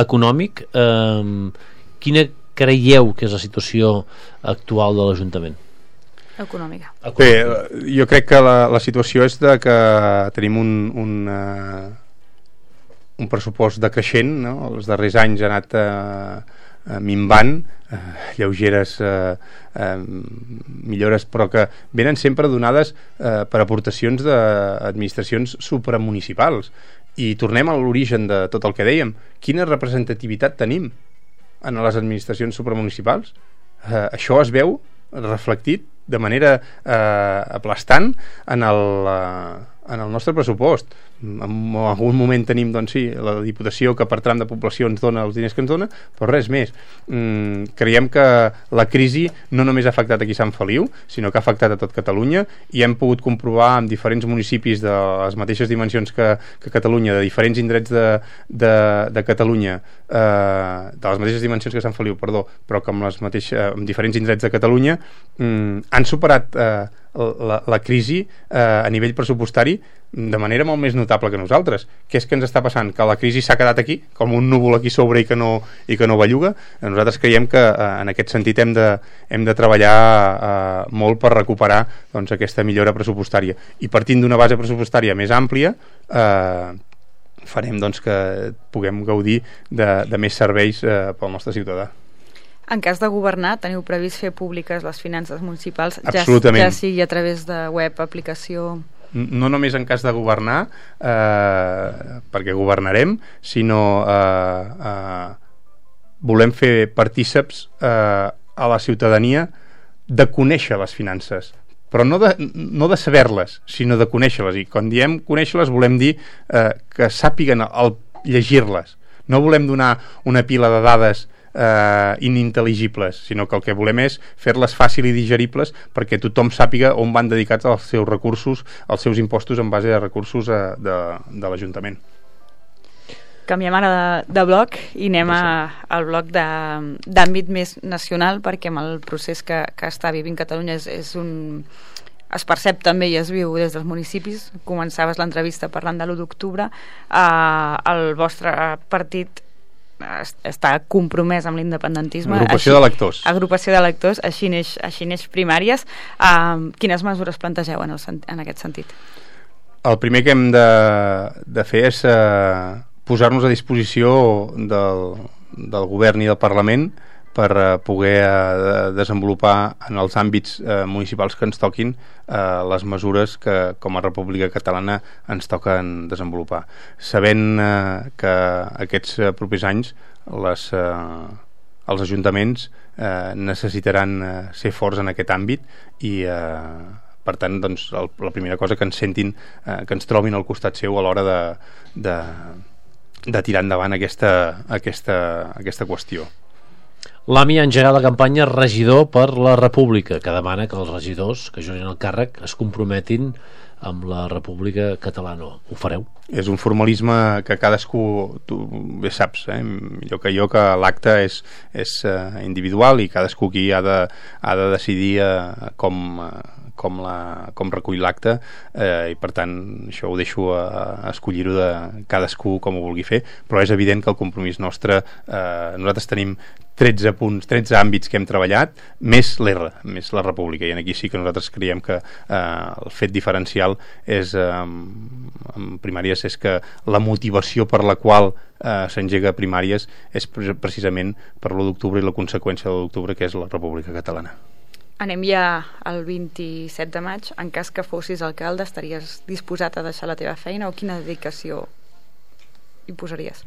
C: econòmic, eh, quina creieu que és la situació actual de l'Ajuntament?
B: econòmica.
D: Bé, jo crec que la, la situació és de que tenim un, un, uh, un pressupost decreixent, no? Els darrers anys ha anat uh, uh, minvant, uh, lleugeres uh, uh, millores, però que venen sempre donades uh, per aportacions d'administracions supramunicipals. I tornem a l'origen de tot el que dèiem. Quina representativitat tenim en les administracions supramunicipals? Uh, això es veu reflectit de manera eh, aplastant en el, eh, en el nostre pressupost. En algun moment tenim, doncs sí, la Diputació que per tram de població ens dona els diners que ens dona, però res més. Mm, creiem que la crisi no només ha afectat aquí a Sant Feliu, sinó que ha afectat a tot Catalunya, i hem pogut comprovar en diferents municipis de les mateixes dimensions que, que Catalunya, de diferents indrets de, de, de Catalunya, eh, de les mateixes dimensions que Sant Feliu, perdó, però que amb, les mateixes, amb diferents indrets de Catalunya mm, han superat eh, la, la crisi eh, a nivell pressupostari de manera molt més notable que nosaltres. Què és que ens està passant? Que la crisi s'ha quedat aquí, com un núvol aquí sobre i que no, i que no belluga? Nosaltres creiem que eh, en aquest sentit hem de, hem de treballar eh, molt per recuperar doncs, aquesta millora pressupostària. I partint d'una base pressupostària més àmplia, eh, farem doncs, que puguem gaudir de, de més serveis eh, pel nostre ciutadà.
B: En cas de governar, teniu previst fer públiques les finances municipals, ja,
D: Absolutament.
B: ja sigui a través de web, aplicació...
D: No només en cas de governar, eh, perquè governarem, sinó eh, eh, volem fer partíceps eh, a la ciutadania de conèixer les finances, però no de, no de saber-les, sinó de conèixer-les. I quan diem conèixer-les volem dir eh, que sàpiguen al llegir-les. No volem donar una pila de dades eh, inintel·ligibles, sinó que el que volem és fer-les fàcil i digeribles perquè tothom sàpiga on van dedicats els seus recursos, els seus impostos en base a recursos eh, de, de l'Ajuntament.
B: Canviem ara de, de bloc i anem a, al bloc d'àmbit més nacional, perquè amb el procés que, que està vivint Catalunya és, és un... es percep també i es viu des dels municipis. Començaves l'entrevista parlant de l'u d'octubre. Eh, el vostre partit està compromès amb l'independentisme.
D: Agrupació d'electors.
B: Agrupació d'electors, així neix, així neix Primàries. Uh, quines mesures plantegeu en, el, en aquest sentit?
D: El primer que hem de, de fer és uh, posar-nos a disposició del, del govern i del Parlament per uh, poder uh, desenvolupar en els àmbits uh, municipals que ens toquin uh, les mesures que com a República Catalana ens toquen desenvolupar. Sabent uh, que aquests uh, propers anys les, uh, els ajuntaments uh, necessitaran uh, ser forts en aquest àmbit i uh, per tant doncs, el, la primera cosa que ens sentin, uh, que ens trobin al costat seu a l'hora de, de, de tirar endavant aquesta, aquesta, aquesta qüestió.
C: L'A M I ha engegat la campanya Regidor per la República, que demana que els regidors que juguin el càrrec es comprometin amb la República Catalana. Ho fareu?
D: És un formalisme que cadascú, tu bé saps, eh, millor que jo, que l'acte és, és uh, individual i cadascú aquí ha de, ha de decidir uh, com... Uh, com, la, com recull l'acte eh, i per tant això ho deixo a, a escollir-ho de cadascú com ho vulgui fer, però és evident que el compromís nostre, eh, nosaltres tenim tretze punts, tretze àmbits que hem treballat, més l'R, més la República, i aquí sí que nosaltres creiem que eh, el fet diferencial és, eh, en Primàries, és que la motivació per la qual eh, s'engega Primàries és precisament per l'u d'octubre i la conseqüència de l'u d'octubre, que és la República Catalana.
B: Anem ja al vint-i-set de maig. En cas que fossis alcalde, estaries disposat a deixar la teva feina o quina dedicació hi posaries?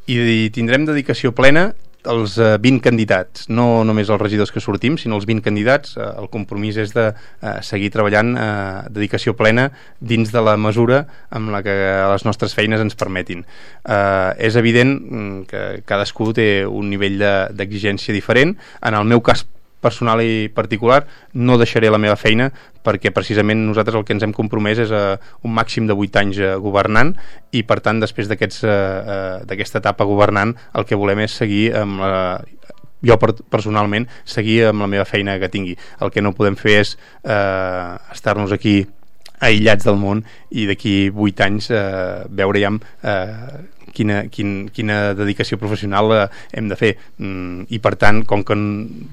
D: I tindrem dedicació plena els eh, vint candidats, no només els regidors que sortim, sinó els vint candidats. Eh, el compromís és de eh, seguir treballant eh, dedicació plena dins de la mesura amb la que les nostres feines ens permetin. Eh, és evident que cadascú té un nivell d'exigència de, diferent. En el meu cas personal i particular no deixaré la meva feina perquè precisament nosaltres el que ens hem compromès és a un màxim de vuit anys governant i per tant després d'aquesta etapa governant el que volem és seguir amb la, jo personalment seguir amb la meva feina que tingui. El que no podem fer és eh, estar-nos aquí aïllats del món i d'aquí vuit anys eh, veure ja eh, quina, quin, quina dedicació professional eh, hem de fer, mm, i per tant, com que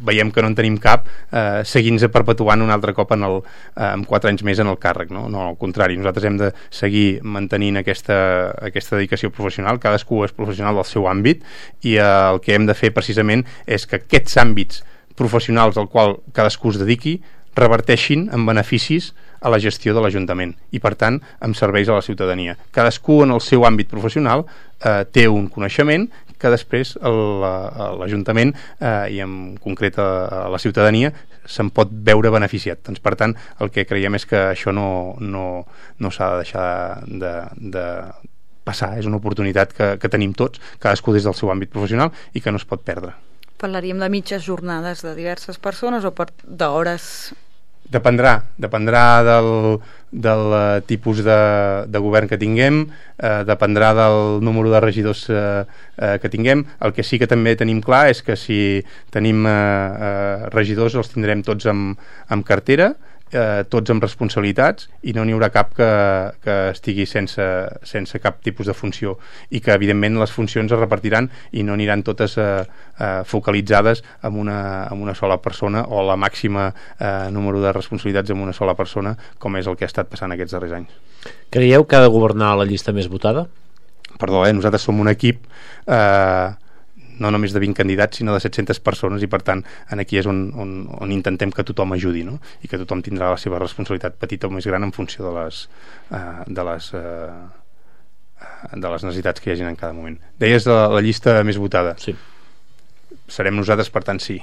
D: veiem que no en tenim cap, eh, seguir-nos perpetuant un altre cop en el, eh, amb quatre anys més en el càrrec, no? No, al contrari, nosaltres hem de seguir mantenint aquesta, aquesta dedicació professional, cadascú és professional del seu àmbit, i eh, el que hem de fer precisament és que aquests àmbits professionals al qual cadascú es dediqui reverteixin en beneficis a la gestió de l'Ajuntament i, per tant, amb serveis a la ciutadania. Cadascú en el seu àmbit professional eh, té un coneixement que després l'Ajuntament eh, i en concret a la ciutadania se'n pot veure beneficiat. Doncs, per tant, el que creiem és que això no, no, no s'ha de deixar de, de passar. És una oportunitat que, que tenim tots, cadascú des del seu àmbit professional, i que no es pot perdre.
B: Parlaríem de mitges jornades de diverses persones o d'hores?
D: Dependrà, dependrà del, del tipus de, de govern que tinguem, eh, dependrà del número de regidors eh, eh, que tinguem. El que sí que també tenim clar és que si tenim eh, eh, regidors els tindrem tots amb, amb cartera, eh, tots amb responsabilitats, i no n'hi haurà cap que, que estigui sense, sense cap tipus de funció, i que evidentment les funcions es repartiran i no aniran totes eh, eh, focalitzades en una, en una sola persona, o la màxima eh, número de responsabilitats en una sola persona, com és el que ha estat passant aquests darrers anys.
C: Creieu que ha de governar la llista més votada?
D: Perdó, eh? Nosaltres som un equip eh, no només de vint candidats, sinó de set-centes persones, i per tant aquí és on, on, on intentem que tothom ajudi, no? I que tothom tindrà la seva responsabilitat petita o més gran en funció de les, uh, de les, uh, de les necessitats que hi hagin en cada moment. Deies la, la llista més votada.
C: Sí.
D: Serem nosaltres, per tant, sí.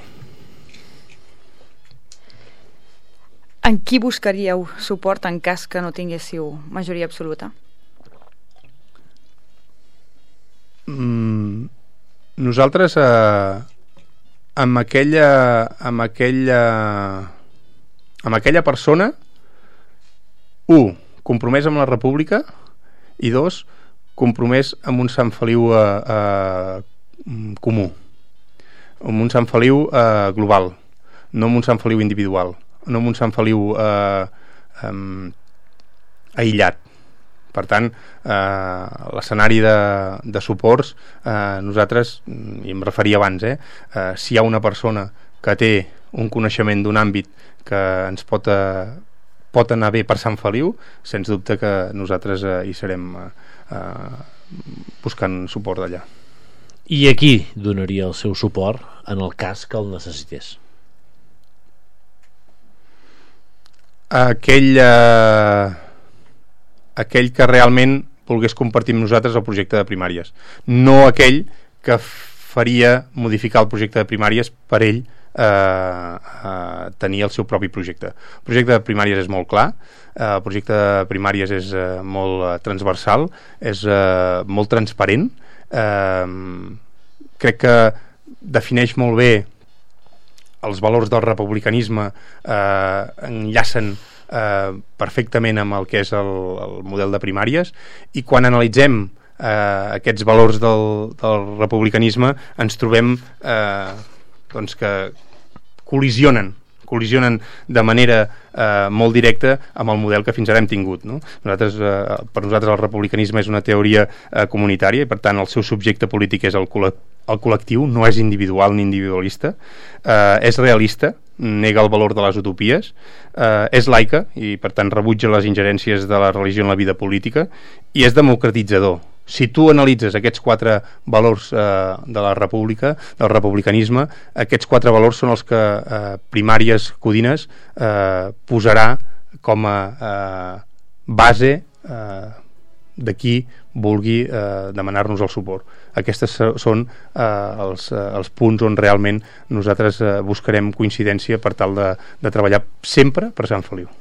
B: En qui buscaríeu suport en cas que no tinguéssiu majoria absoluta?
D: Mm... Nosaltres eh, amb aquella amb aquella amb aquella persona, un, compromès amb la República, i dos, compromès amb un Sant Feliu eh, eh, comú, amb un Sant Feliu eh, global, no amb un Sant Feliu individual, no amb un Sant Feliu eh, eh, aïllat. Per tant, eh, l'escenari de, de suports, eh, nosaltres, i em referia abans, eh, eh, si hi ha una persona que té un coneixement d'un àmbit que ens pot, eh, pot anar bé per Sant Feliu, sens dubte que nosaltres eh, hi serem eh, buscant suport d'allà.
C: I a qui donaria el seu suport en el cas que el necessités?
D: Aquell... Eh, aquell que realment volgués compartir amb nosaltres el projecte de primàries, no aquell que faria modificar el projecte de primàries per ell eh, eh, tenir el seu propi projecte. El projecte de primàries és molt clar, eh, el projecte de primàries és eh, molt eh, transversal, és eh, molt transparent, eh, crec que defineix molt bé els valors del republicanisme, eh, enllacen Eh, perfectament amb el que és el, el model de primàries, i quan analitzem eh, aquests valors del, del republicanisme ens trobem eh, doncs que col·lisionen col·lisionen de manera eh, molt directa amb el model que fins ara hem tingut, no? Nosaltres, eh, per nosaltres el republicanisme és una teoria eh, comunitària, i per tant el seu subjecte polític és el, col el col·lectiu, no és individual ni individualista, eh, és realista, nega el valor de les utopies, eh, és laica i per tant rebutja les ingerències de la religió en la vida política, i és democratitzador. Si tu analitzes aquests quatre valors eh, de la república, del republicanisme, aquests quatre valors són els que eh, Primàries Codines eh, posarà com a eh, base eh, de qui vulgui eh, demanar-nos el suport. Aquests són eh, els, eh, els punts on realment nosaltres eh, buscarem coincidència per tal de, de treballar sempre per Sant Feliu.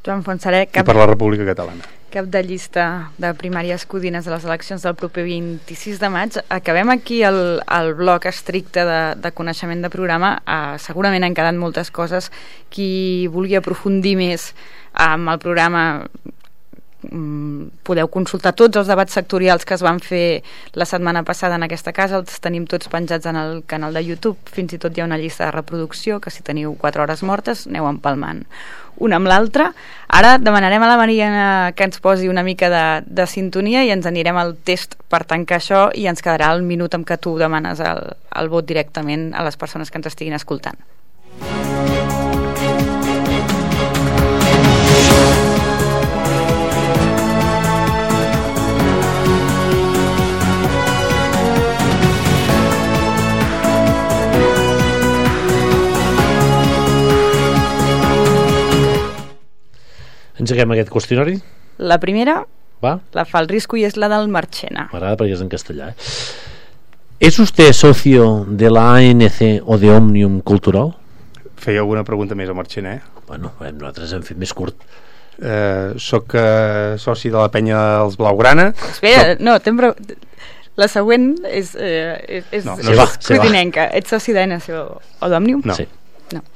B: Joan Fontserè, cap...
D: I per la República Catalana.
B: Cap de llista de Primàries Codines a les eleccions del proper vint-i-sis de maig. Acabem aquí el, el bloc estricte de, de coneixement de programa. Uh, segurament han quedat moltes coses. Qui vulgui aprofundir més amb el programa podeu consultar tots els debats sectorials que es van fer la setmana passada en aquesta casa, els tenim tots penjats en el canal de YouTube, fins i tot hi ha una llista de reproducció que si teniu quatre hores mortes aneu empalmant una amb l'altra. Ara demanarem a la Mariana que ens posi una mica de, de sintonia i ens anirem al test per tancar això i ens quedarà el minut en què tu demanes el, el vot directament a les persones que ens estiguin escoltant.
C: Engeguem aquest qüestionari?
B: La primera
C: Va?
B: la fa el Risco i és la del Marchena.
C: M'agrada perquè és en castellà. Eh? ¿Es usted socio de la A N C o de Òmnium Cultural?
D: Feia alguna pregunta més al Marchena, eh?
C: Bueno, nosaltres hem fet més curt.
D: Eh, soc eh, soci de la penya dels Blaugrana.
B: Espera, no, no pre... la següent és, eh, és, és,
C: no,
B: no,
C: és
B: codinenca. Ets soci d'A N C o, o d'Òmnium?
D: No.
C: Sí.
B: No.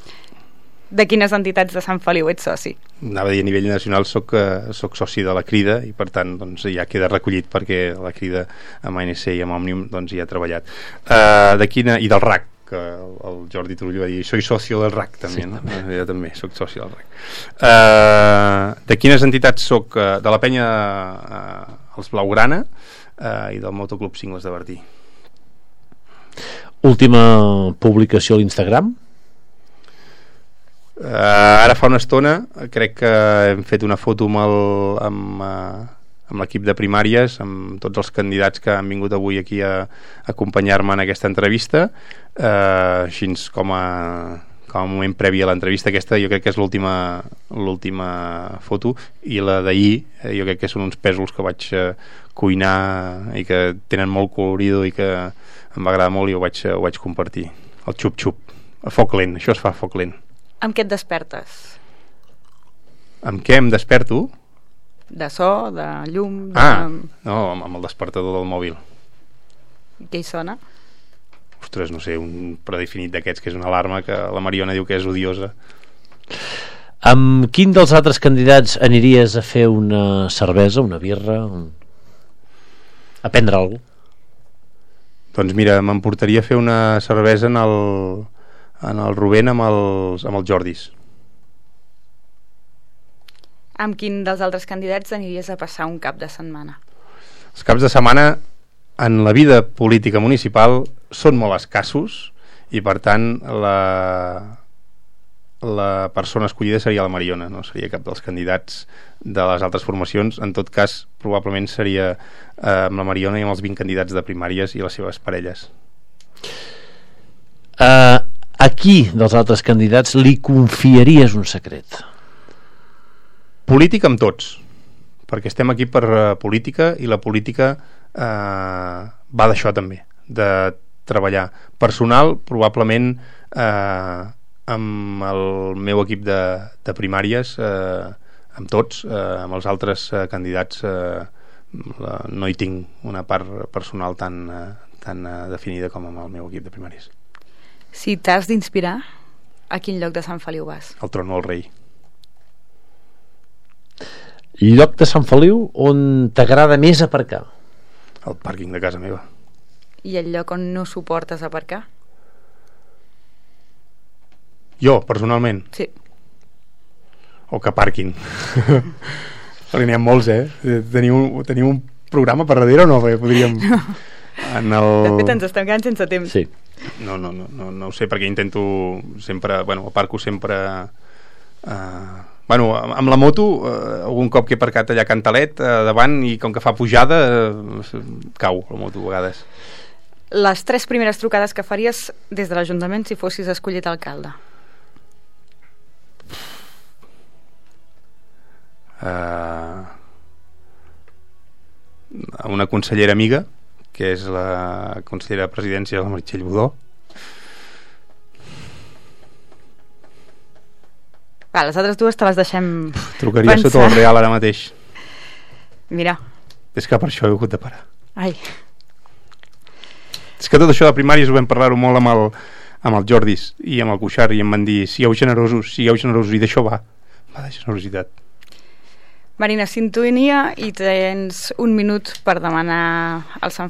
B: De quines entitats de Sant Feliu ets soci?
D: Anava a dir, a nivell nacional soc, uh, soc soci de la Crida i per tant doncs, ja queda recollit perquè la Crida amb A N C i amb Òmnium doncs, hi ha treballat. Uh, de quina... I del R A C, que el Jordi Turull va dir soy socio del R A C també, sí, no? També. Jo també soc soci del R A C. Uh, de quines entitats soc? Uh, de la penya uh, els Blaugrana uh, i del Motoclub Cingles de Bertí.
C: Última publicació a l'Instagram?
D: Uh, ara fa una estona crec que hem fet una foto amb el, amb, uh, amb l'equip de primàries, amb tots els candidats que han vingut avui aquí a, a acompanyar-me en aquesta entrevista, uh, així com a, com a moment previ a l'entrevista. Aquesta jo crec que és l'última l'última foto, i la d'ahir jo crec que són uns pèsols que vaig uh, cuinar i que tenen molt colorido i que em va agradar molt i ho vaig, uh, ho vaig compartir. El xup-xup, a foc lent, això es fa a foc lent.
B: Amb què et despertes?
D: Amb què em desperto?
B: De so, de llum... De...
D: Ah, no, amb el despertador del mòbil.
B: Què hi sona?
D: Ostres, no sé, un predefinit d'aquests que és una alarma que la Mariona diu que és odiosa.
C: Amb quin dels altres candidats aniries a fer una cervesa, una birra, un... a prendre alguna cosa?
D: Doncs mira, m'emportaria a fer una cervesa en el... en el Rubén amb els, amb els Jordis.
B: Amb quin dels altres candidats aniries a passar un cap de setmana?
D: Els caps de setmana en la vida política municipal són molt escassos i per tant la, la persona escollida seria la Mariona, no seria cap dels candidats de les altres formacions. En tot cas probablement seria eh, amb la Mariona i amb els vint candidats de primàries i les seves parelles.
C: Uh, a qui dels altres candidats li confiaries un secret?
D: Política amb tots, perquè estem aquí per uh, política, i la política uh, va d'això també, de treballar. Personal, probablement uh, amb el meu equip de, de primàries, uh, amb tots, uh, amb els altres uh, candidats uh, la, no hi tinc una part personal tan, uh, tan uh, definida com amb el meu equip de primàries.
B: Si t'has d'inspirar, a quin lloc de Sant Feliu vas?
D: El Trono del Rei.
C: Lloc de Sant Feliu on t'agrada més aparcar?
D: El pàrquing de casa meva.
B: I el lloc on no suportes aparcar?
D: Jo, personalment?
B: Sí.
D: O que parquin. Perquè n'hi ha molts, eh? Teniu, teniu un programa per darrere o no? Perquè podríem...
B: No.
D: En el...
B: De fet, ens estem quedant sense temps.
C: Sí.
D: No, no, no, no, no ho sé, perquè intento sempre, bueno, aparco sempre uh, bueno, amb la moto uh, algun cop que he aparcat allà a Cantalet uh, davant, i com que fa pujada uh, cau la moto a vegades.
B: Les tres primeres trucades que faries des de l'Ajuntament si fossis escollit alcalde?
D: Uh, a una consellera amiga, que és la consellera de presidència, la Meritxell Budó.
B: Va, les altres dues te les deixem
D: Trucaria
B: pensar.
D: sota el Real ara mateix.
B: Mira.
D: És que per això he hagut de parar.
B: Ai.
D: És que tot això de primàries ho vam parlar-ho molt amb el, amb el Jordis i amb el Cuixart, i em van dir, sigueu generosos, sigueu generosos, i d'això va. Va de generositat.
B: Marina, sintonia i tens un minut per demanar al Sant